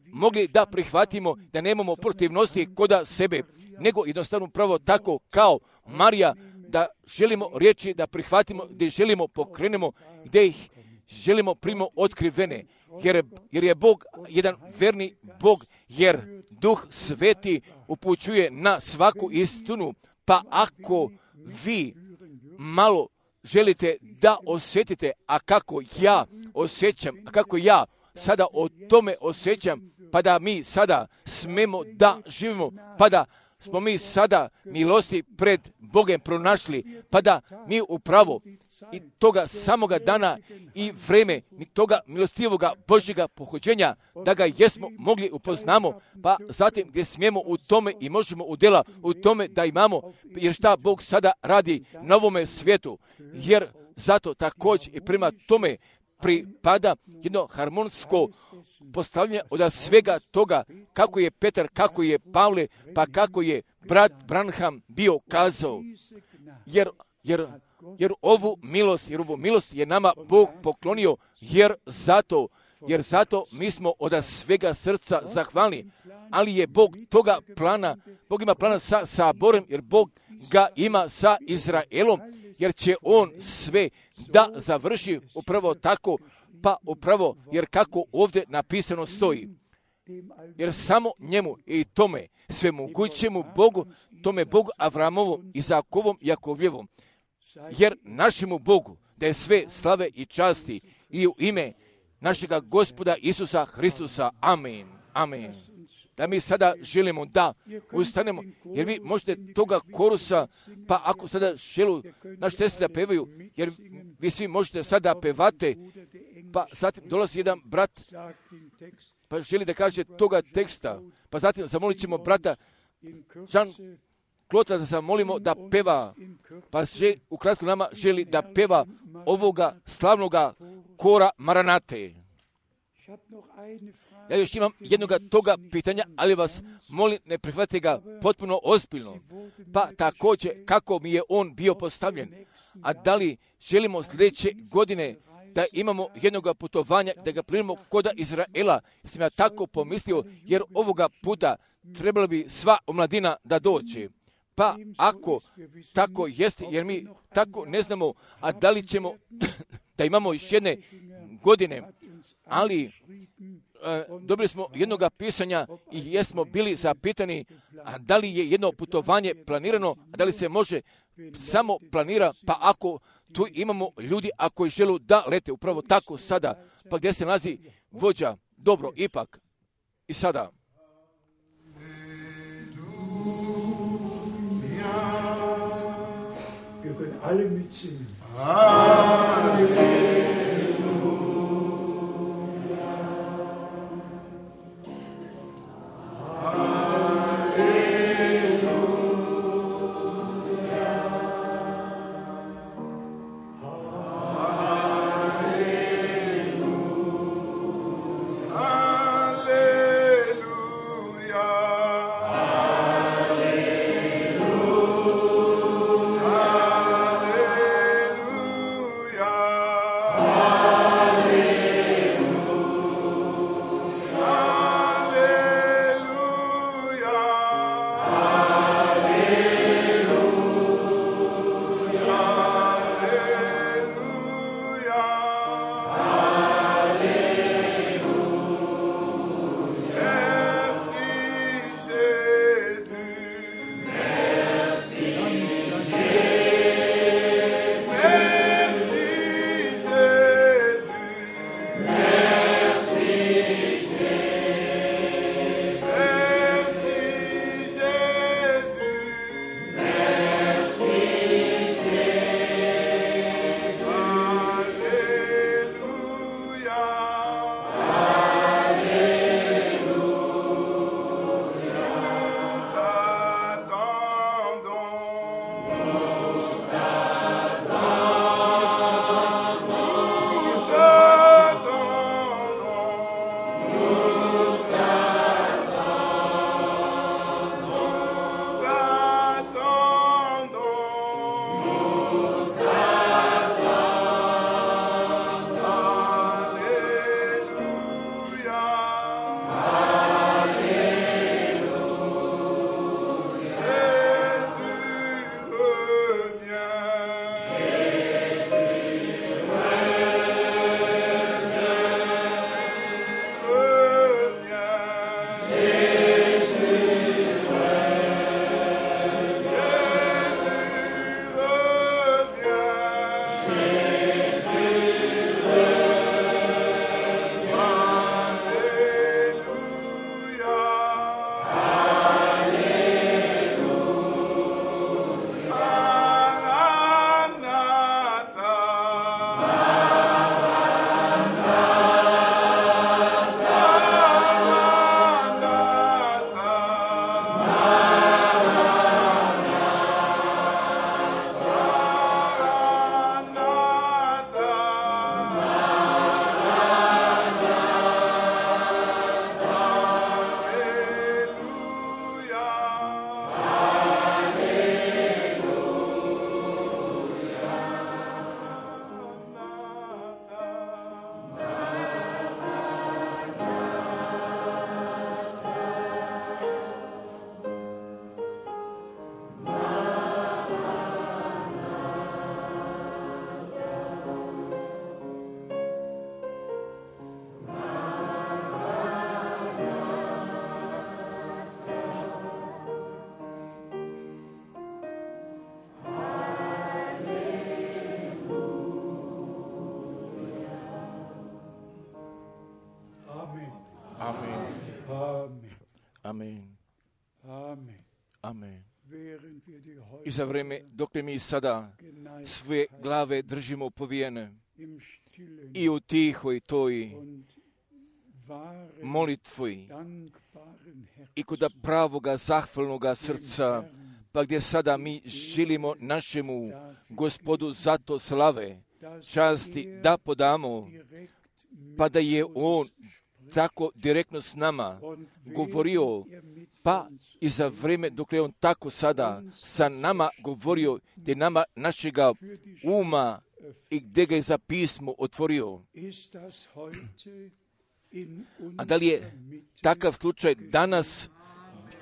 mogli da prihvatimo, da nemamo protivnosti koda sebe, nego jednostavno pravo tako kao Marija, da želimo riječi da prihvatimo, gdje želimo pokrenemo, gdje ih želimo primo otkrivene, jer, jer je Bog jedan verni Bog, jer Duh Sveti upućuje na svaku istinu, pa ako vi malo želite da osjetite, a kako ja osjećam, a kako ja sada o tome osjećam, pa da mi sada smemo da živimo, pa da smo mi sada milosti pred Bogem pronašli, pa da mi upravo i toga samoga dana i vreme i toga milostivoga Božjega pohođenja, da ga jesmo mogli upoznamo, pa zatim gdje smijemo u tome i možemo u djela u tome da imamo, jer šta Bog sada radi na ovome svijetu, jer zato također i prema tome pripada jedno harmonsko postavljanje od svega toga, kako je Petar, kako je Pavle, pa kako je brat Branham bio kazao. Jer, jer, jer ovu milost, jer ovu milost je nama Bog poklonio, jer zato, jer zato mi smo od svega srca zahvalni. Ali je Bog toga plana, Bog ima plana sa saborem, jer Bog ga ima sa Izraelom, jer će on sve da završi upravo tako, pa upravo, jer kako ovdje napisano stoji. Jer samo njemu i tome svemogućemu Bogu, tome Bogu Avramovom, Izakovom, Jakovljevom, jer našemu Bogu da je sve slave i časti i u ime našega Gospoda Isusa Hristusa. Amen. Amen. Da mi sada želimo da ustanemo, jer vi možete toga korusa, pa ako sada želu naši sestri da pevaju, jer vi svi možete sada pevate, pa zatim dolazi jedan brat, pa želi da kaže toga teksta, pa zatim zamolit ćemo brata Jean Klota da zamolimo da peva, pa želi, ukratko nama želi da peva ovoga slavnoga kora Maranate. Ja još imam jednoga toga pitanja, ali vas molim, ne prihvatite ga potpuno ozbiljno. Pa također, kako mi je on bio postavljen, a da li želimo sljedeće godine da imamo jednoga putovanja, da ga primimo koda Izraela, sam ja tako pomislio, jer ovoga puta trebala bi sva omladina da dođe. Pa ako tako jeste, jer mi tako ne znamo, a da li ćemo da imamo još jedne godine, ali e, dobili smo jednoga pisanja i jesmo bili zapitani, a da li je jedno putovanje planirano, a da li se može samo planira, pa ako tu imamo ljudi ako žele da lete upravo tako sada, pa gdje se nalazi vođa, dobro, ipak i sada. Wir können alle mitsingen. Hallelujah. Amen. Amen. Amen. Während wir die I za vrijeme dok mi sada sve glave držimo povijene im stillen i u tihoj toj und wahren, molitvi dankbaren Herzen i kod pravoga zahvalnoga srca, pa gdje sada mi želimo našemu Gospodu zato slave, časti da podamo, direkt pa da je On tako direktno s nama und govorio, er mit pa i za vrijeme dok je On tako sada sa nama govorio, gdje nama našega uma i gdje ga je za pismo otvorio. ist das heute in A da li je unserer Mitte? takav slučaj danas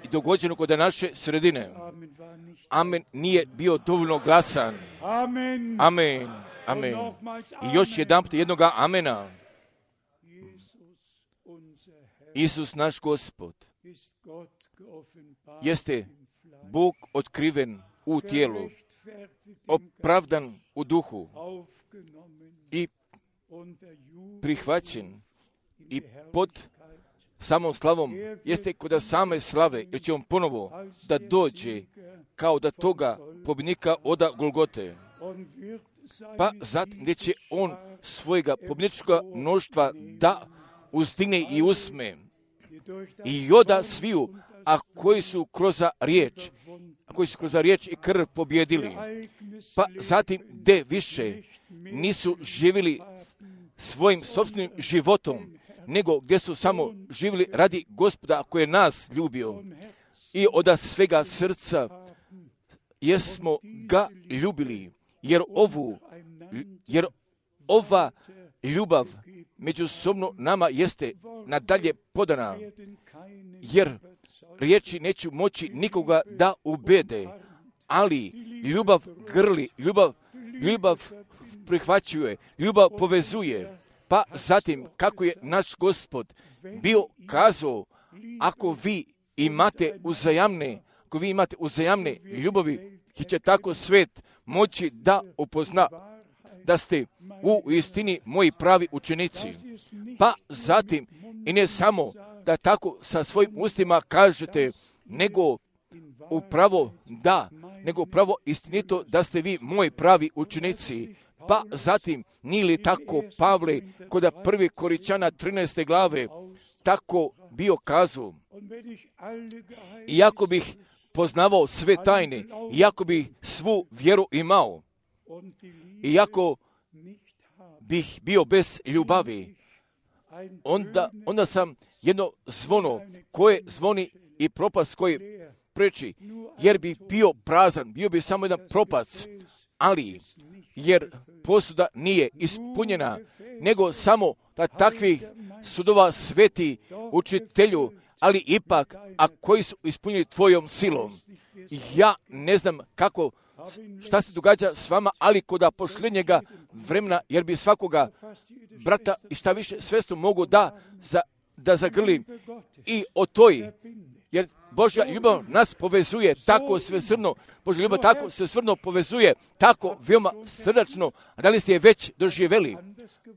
i dogođeno kod naše sredine? Amen war nicht. Amen nije bio dovoljno glasan. Amen. Amen. Amen. Und nochmals I još jedan put jednoga amena. Jesus, unser Herr, Isus naš Gospod ist Gott geoffenbart jeste im Fleisch, Bog otkriven u tijelu, gerechtfertigt im Geist, opravdan u duhu aufgenommen i unter Jubel prihvaćen in i die pod Herrlichkeit. samom slavom jeste kod same slave, jer će on ponovo da dođe kao da toga pobjednika oda Golgote. Und wird seine Pa zatim gdje će on svojega pobjedničkog mnoštva da uzdigne i usme die durch das i oda sviju, a koji su kroz riječ, a koji su kroz riječ i krv pobjedili. Ereignis Pa zatim gdje više nisu živjeli svojim sobstvenim životom, nego gdje su samo živjeli radi Gospoda koji je nas ljubio i od svega srca jesmo ga ljubili, jer ovu, jer ova ljubav međusobno nama jeste nadalje podana, werden keine jer riječi neću moći nikoga da ubede, ali ljubav grli, ljubav, ljubav prihvaćuje, ljubav povezuje. Pa zatim, kako je naš Gospod bio kazao, ako vi imate uzajamne, ako vi imate uzajamne ljubavi, i će tako svet moći da upozna da ste u istini moji pravi učenici. Pa zatim, i ne samo da tako sa svojim ustima kažete, nego upravo da, nego upravo istinito da ste vi moji pravi učenici. Pa zatim, nije li tako Pavle kod prvi Koričana trinaeste glave tako bio kazao, iako bih poznavao sve tajne, iako bih svu vjeru imao, iako bih bio bez ljubavi, onda, onda sam jedno zvono koje zvoni i propast koji preči, jer bi bio prazan, bio bi samo jedan propac, ali jer posuda nije ispunjena, nego samo da takvih sudova sveti učitelju, ali ipak, a koji su ispunili tvojom silom. Ja ne znam kako, šta se događa s vama, ali kod pošljenjega vremena, jer bi svakoga brata i šta više svestu mogu da, za, da zagrlim i o toj, jer Božja ljubav nas povezuje tako svesrdno, Božja ljubav tako svesrdno povezuje, tako veoma srdačno, a da li ste je već doživjeli,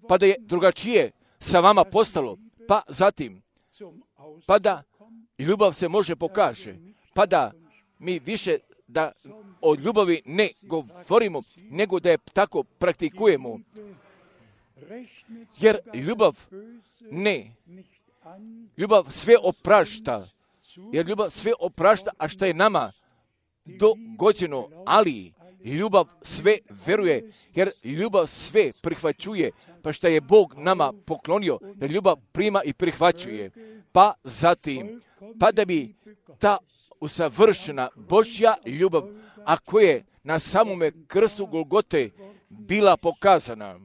pa da je drugačije sa vama postalo, pa zatim, pa da ljubav se može pokaže, pa da mi više da o ljubavi ne govorimo, nego da je tako praktikujemo, jer ljubav ne, ljubav sve oprašta, jer ljubav sve oprašta, a što je nama dogođeno, ali ljubav sve veruje, jer ljubav sve prihvaćuje, pa što je Bog nama poklonio, jer ljubav prima i prihvaćuje. Pa zatim, pa da bi ta usavršena Božja ljubav, a koja je na samome krstu Golgote bila pokazana,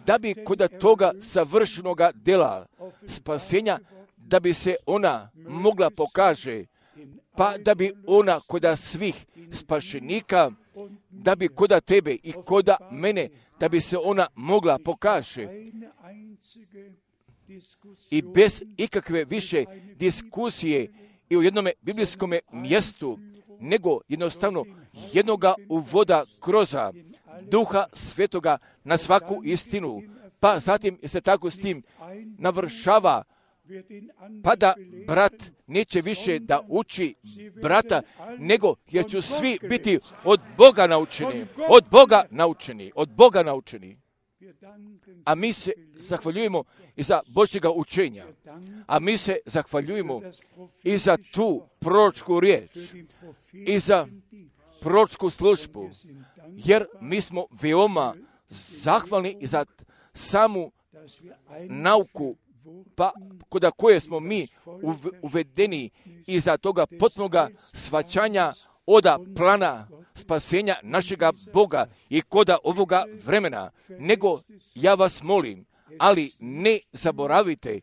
da bi kod toga savršenoga dela spasenja, da bi se ona mogla pokaže, pa da bi ona kod svih spašenika, da bi kod tebe i kod mene, da bi se ona mogla pokaže. I bez ikakve više diskusije i u jednom biblijskom mjestu, nego jednostavno jednoga uvoda kroz Duha Svetoga na svaku istinu, pa zatim se tako s tim navršava pa da brat neće više da uči brata, nego jer ću svi biti od Boga naučeni, od Boga naučeni, od Boga naučeni. A mi se zahvaljujemo i za Božjega učenja, a mi se zahvaljujemo i za tu proročku riječ, i za proročku službu, jer mi smo veoma zahvalni i za samu nauku, pa kod koje smo mi uvedeni i za toga potpunoga shvaćanja oda plana spasenja našega Boga i koda ovoga vremena. Nego ja vas molim, ali ne zaboravite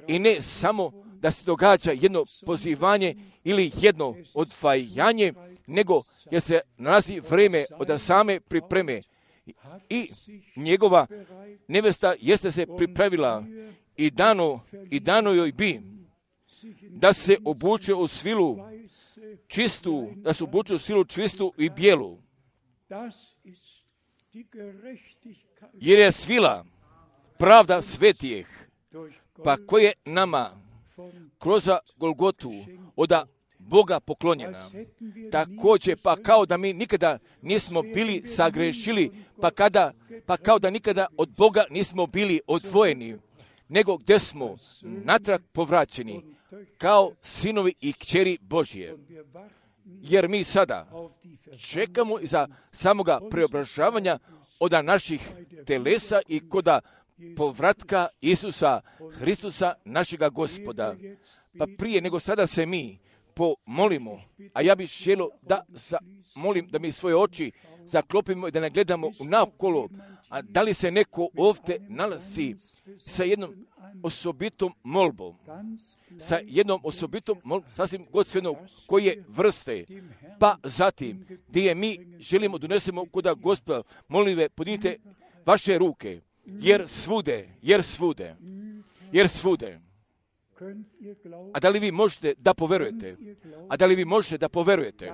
i ne samo da se događa jedno pozivanje ili jedno odvajanje, nego jer se nalazi vreme od same pripreme i njegova nevesta jeste se pripravila i dano, i dano joj bi da se obuče u svilu čistu, da se obuče u svilu čistu i bijelu. Jer je svila pravda svetijeh, pa koje nama kroz Golgotu oda Boga poklonjena. Također, pa kao da mi nikada nismo bili sagrešili, pa, kada, pa kao da nikada od Boga nismo bili odvojeni, nego gdje smo natrag povraćeni kao sinovi i kćeri Božje. Jer mi sada čekamo za samoga preobražavanja od naših telesa i koda povratka Isusa Hristusa našega Gospoda. Pa prije nego sada se mi pomolimo, a ja bih želio da za, molim da mi svoje oči zaklopimo i da ne gledamo naokolo, a da li se neko ovdje nalazi sa jednom osobitom molbom, sa jednom osobitom molbom, sasvim god svejedno koje vrste, pa zatim gdje mi želimo donesemo koda Gospoda, molim ve, podignite vaše ruke, jer svude, jer svude, jer svude. A da li vi možete da poverujete? A da li vi možete da poverujete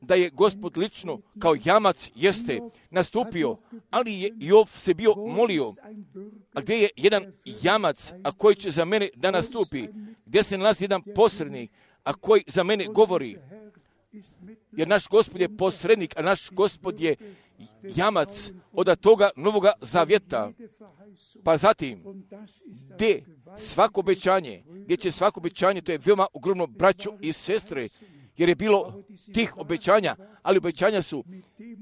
da je Gospod lično kao jamac jeste nastupio, ali je Jov se bio molio, a gdje je jedan jamac, a koji će za mene da nastupi, gdje se nalazi jedan posrednik, a koji za mene govori, jer naš Gospod je posrednik, a naš Gospod je jamac od toga novoga zavjeta. Pa zatim, gdje svako obećanje, gdje će svako obećanje, to je veoma ogromno, braćo i sestre, jer je bilo tih obećanja, ali obećanja su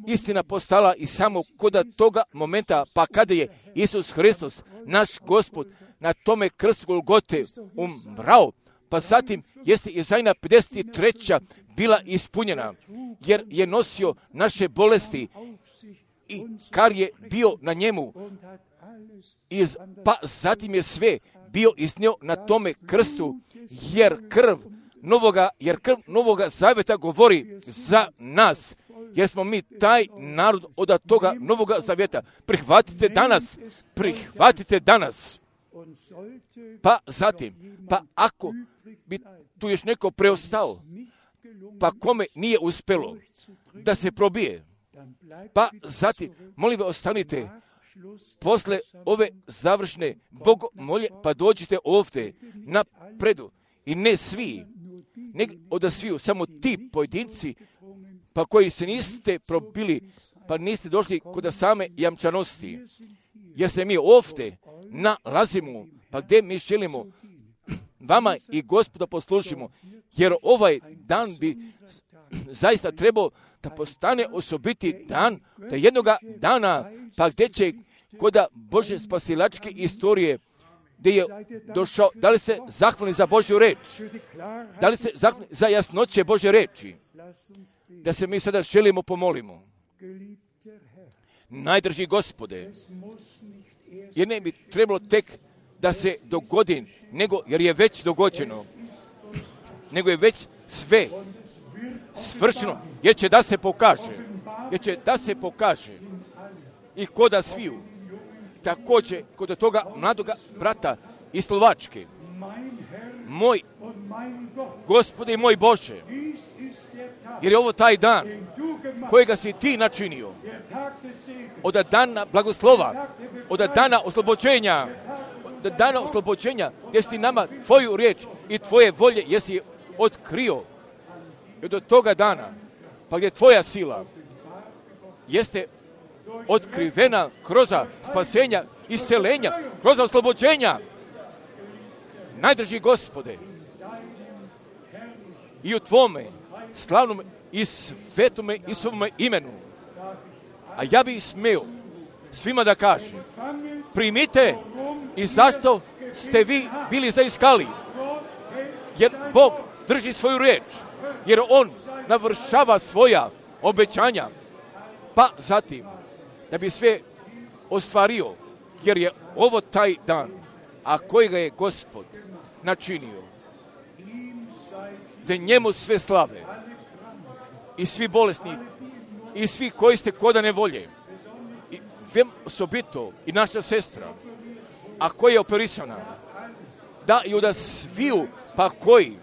istina postala i samo kod toga momenta, pa kada je Isus Hristos, naš Gospod, na tome krstu Golgote umrao, pa zatim jeste Izajna pedeset treća bila ispunjena, jer je nosio naše bolesti i kar je bio na njemu, iz, pa zatim je sve bio iznio na tome krstu, jer krv novoga, jer krv novoga zavjeta govori za nas, jer smo mi taj narod od toga novoga zavjeta. Prihvatite danas, prihvatite danas. Pa zatim, pa ako bi tu još neko preostao, pa kome nije uspjelo da se probije, pa zatim, molim vas, ostanite posle ove završne bogomolje, pa dođite ovdje na predu. I ne svi, ne od sviju, samo ti pojedinci, pa koji se niste probili, pa niste došli kod same jamčanosti. Jer se mi ovdje nalazimo, pa gdje mi želimo vama i Gospoda poslušimo, jer ovaj dan bi zaista trebao da postane osobiti dan, da jednoga dana, pa gdje će koda Bože spasilačke istorije, gdje je došao, da li ste zahvalni za Božju reč? Da li ste zahvalni za jasnoće Božje reči? Da se mi sada želimo pomolimo. Najdrži Gospode, jer ne bi trebalo tek da se dogodi, nego, jer je već dogođeno, nego je već sve svršeno, jer će da se pokaže, jer će da se pokaže i koda sviju, također kod toga mladoga brata iz Slovačke. Moj Gospode i moj Bože, jer je ovo taj dan kojega si ti načinio, od dana blagoslova, od dana oslobođenja, do dana oslobođenja, gdje si ti nama tvoju riječ i tvoje volje jesi otkrio. I do toga dana, pa gdje tvoja sila jeste otkrivena kroz spasenja, iscelenja, kroz oslobođenja. Najdrži Gospode, i u tvome slavnom i svetome i svome imenu. A ja bih smio svima da kažem, primite i zašto ste vi bili zaiskali. Jer Bog drži svoju riječ, jer On navršava svoja obećanja, pa zatim da bi sve ostvario, jer je ovo taj dan, a kojega je Gospod načinio, da njemu sve slave i svi bolesni i svi koji ste koda nevolje i vem osobito i naša sestra, a koja je operisana, da i od sviju pa koji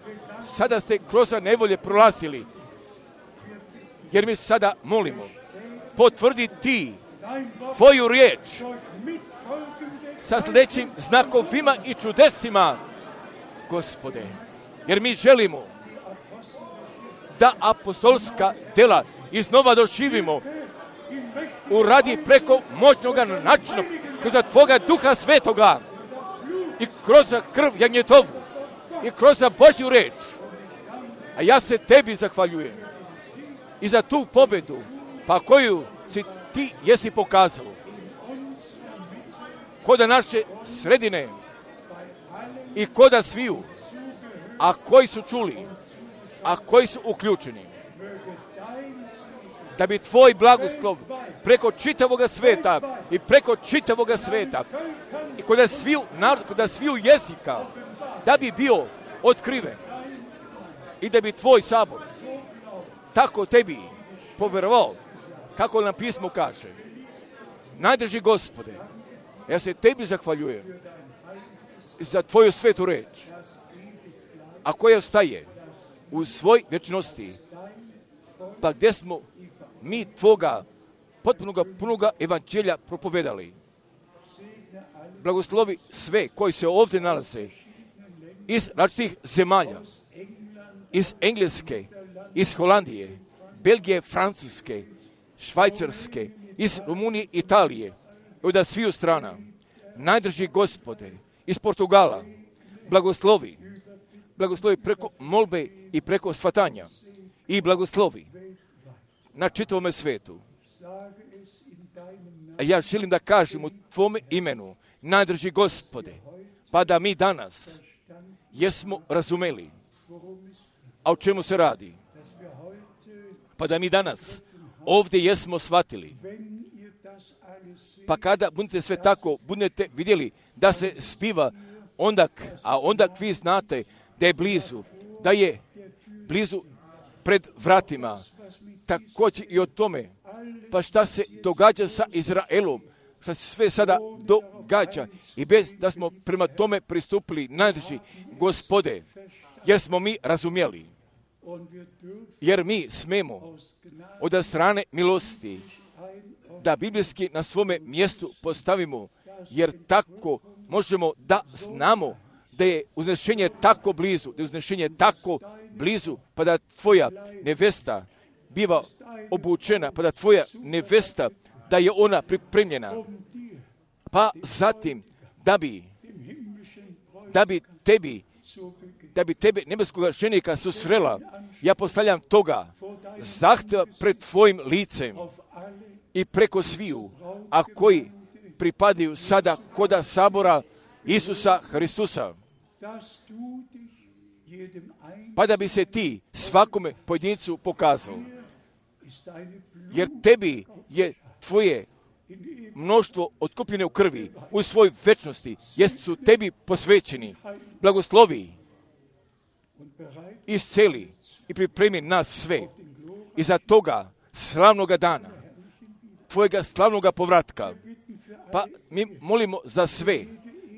sada ste kroz nevolje prolazili, jer mi sada molimo, potvrdi ti tvoju riječ sa sljedećim znakovima i čudesima, Gospode, jer mi želimo da apostolska dela iznova doživimo uradi preko moćnoga načina, kroz tvoga duha svetoga i kroz krv jagnjetovu i kroz Božju reč. A ja se tebi zahvaljujem i za tu pobedu, pa koju si ti jesi pokazao koda naše sredine i koda sviju, a koji su čuli, a koji su uključeni, da bi tvoj blagoslov preko čitavoga sveta i preko čitavoga sveta i kod sviju narod, kod sviju jezika, da bi bio otkriven i da bi tvoj sabor tako tebi povjerovao, kako nam pismo kaže. Najdrži Gospode, ja se tebi zahvaljujem za tvoju svetu reč, a koja ostaje u svoj vječnosti, pa gdje smo mi tvoga potpunoga punoga evanđelja propovedali. Blagoslovi sve koji se ovdje nalaze iz različitih zemalja, iz Engleske, iz Holandije, Belgije, Francuske, Švajcarske, iz Rumunije, Italije, od sviju strana. Najdrži Gospode, iz Portugala, blagoslovi, blagoslovi preko molbe i preko svatanja i blagoslovi na čitavome svetu. A ja želim da kažem u tvome imenu, najdrži Gospode, pa da mi danas jesmo razumeli, a o čemu se radi. Pa da mi danas ovdje jesmo shvatili. Pa kada budete sve tako, budete vidjeli da se spiva ondak, a ondak vi znate da je blizu, da je blizu pred vratima. Također i o tome, pa šta se događa sa Izraelom, šta se sve sada događa i bez da smo prema tome pristupili, najdrži Gospode, jer smo mi razumjeli, jer mi smemo od strane milosti da biblijski na svome mjestu postavimo, jer tako možemo da znamo da je uznešenje tako blizu, da je uznešenje tako blizu, pa da tvoja nevesta biva obučena, pa da tvoja nevesta, da je ona pripremljena, pa zatim da bi, da bi tebi, da bi tebe nebeskoga ženika susrela, ja postavljam toga zahtjeva pred tvojim licem i preko sviju, a koji pripadaju sada koda sabora Isusa Hristusa, pa da bi se ti svakome pojedincu pokazao. Jer tebi je tvoje mnoštvo otkupljene u krvi, u svoj večnosti, jest su tebi posvećeni. Blagoslovi, isceli i pripremi nas sve i za toga slavnoga dana, tvojega slavnoga povratka. Pa mi molimo za sve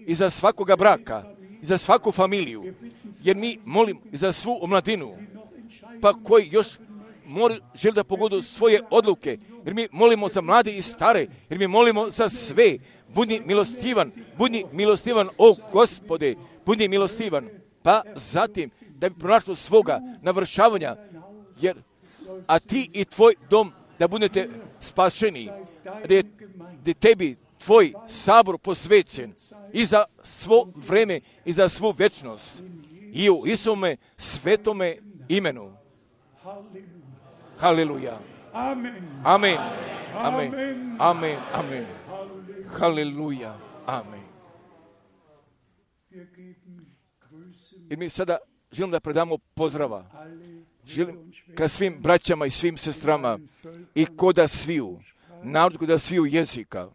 i za svakoga braka i za svaku familiju, jer mi molimo i za svu omladinu, pa koji još mora, želi da pogodu svoje odluke, jer mi molimo za mlade i stare, jer mi molimo za sve. Budi milostivan, budi milostivan, o Gospode, budi milostivan. Pa zatim, da bi pronašlo svoga navršavanja, jer, a ti i tvoj dom da budete spašeni, da je, da je tebi tvoj sabor posvećen i za svo vreme i za svu večnost. I u Isome svetome imenu. Haleluja. Amen. Amen. Amen. Amen. Amen. Haleluja. Amen. I mi sada želim da predamo pozdrava. Želim ka svim braćama i svim sestrama i koda sviju, narod koda sviju jezika.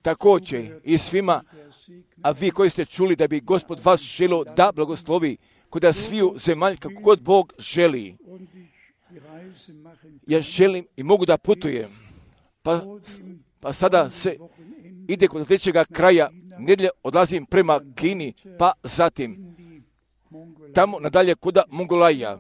Također i svima, a vi koji ste čuli da bi Gospod vas želio da blagoslovi koda sviju zemalj kako god Bog želi. Ja želim i mogu da putujem. Pa, pa sada se ide kod sljedećega kraja nedjelje, odlazim prema Kini, pa zatim tamo nadalje koda Mongolaja.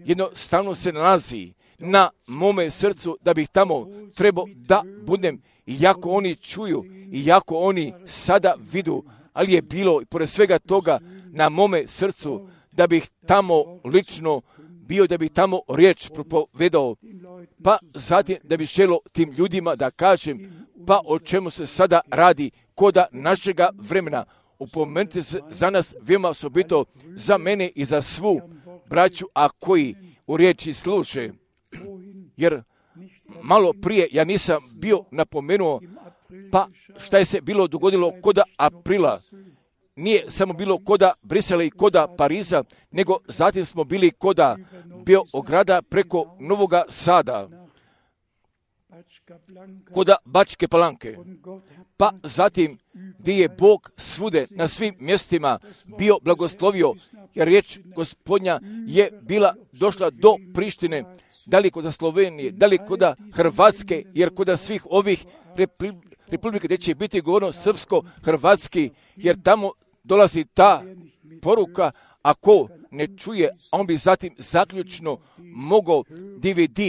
Jednostavno se nalazi na mome srcu da bih tamo trebao da budem, iako oni čuju, iako oni sada vidu, ali je bilo i pored svega toga na mome srcu da bih tamo lično bio, da bih tamo riječ propovedao, pa zatim da bih želio tim ljudima da kažem, pa o čemu se sada radi koda našega vremena. Upomenite se za nas veoma osobito, za mene i za svu braću, a koji u riječi sluše. Jer malo prije ja nisam bio napomenuo, pa šta je se bilo dogodilo koda aprila. Nije samo bilo koda Brisela i koda Pariza, nego zatim smo bili koda Beograda preko Novoga Sada, koda Bačke Palanke, pa zatim gdje je Bog svude na svim mjestima bio blagoslovio, jer riječ Gospodnja je bila došla do Prištine, da li koda Slovenije, da li koda Hrvatske, jer koda svih ovih republika gdje će biti govorno srpsko-hrvatski, jer tamo dolazi ta poruka, ako ne čuje, on bi zatim zaključno mogao D V D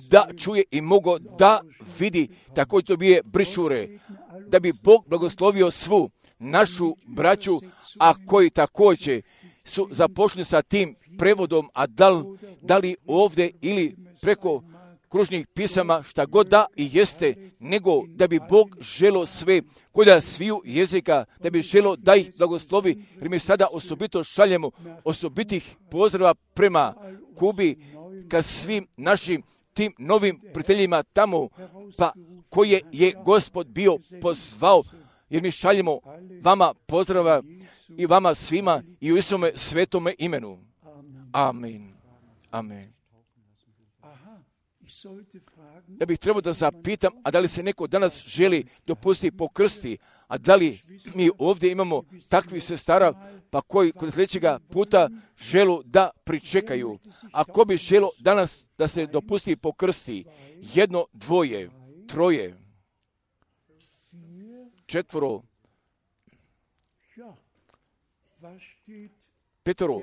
da čuje i mogao da vidi, također to bije brišure, da bi Bog blagoslovio svu našu braću, a koji također su započeli sa tim prevodom, a da li, da li ovdje ili preko kružnih pisama, šta god da i jeste, nego da bi Bog želo sve, koda sviju jezika, da bi želo da ih blagoslovi, jer mi sada osobito šaljemo osobitih pozdrava prema Kubi, ka svim našim tim novim prijateljima tamo, pa koje je Gospod bio pozvao, jer mi šaljemo vama pozdrava i vama svima i u Isome svetome imenu. Amen. Amen. Ja bih trebao da zapitam, a da li se neko danas želi dopustiti pokrsti, a da li mi ovdje imamo takvih sestara, pa koji kod sljedećega puta želu da pričekaju. Ako bi želo danas da se dopusti pokrsti, jedno, dvoje, troje, četvoro, petoro,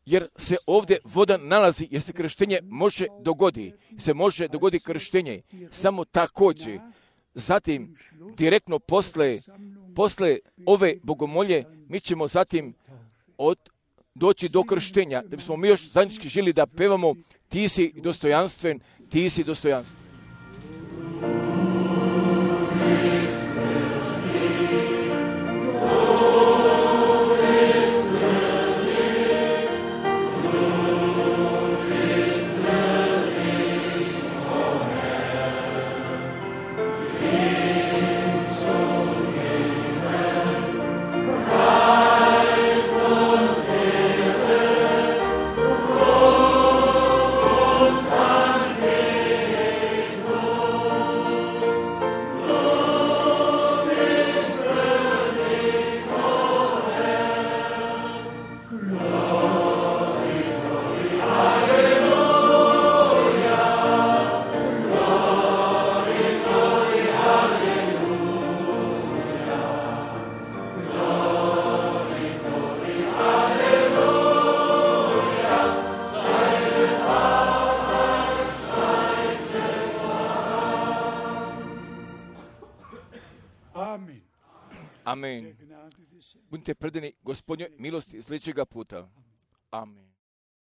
jer se ovdje voda nalazi, jer se krštenje može dogodi, se može dogodi krštenje, samo također. Zatim, direktno posle, posle ove bogomolje, mi ćemo zatim od, doći do krštenja, da bismo mi još zajednički želi da pevamo ti si dostojanstven, ti si dostojanstven. Amen. Budite predani Gospodnjoj milosti sljedećega puta. Amen.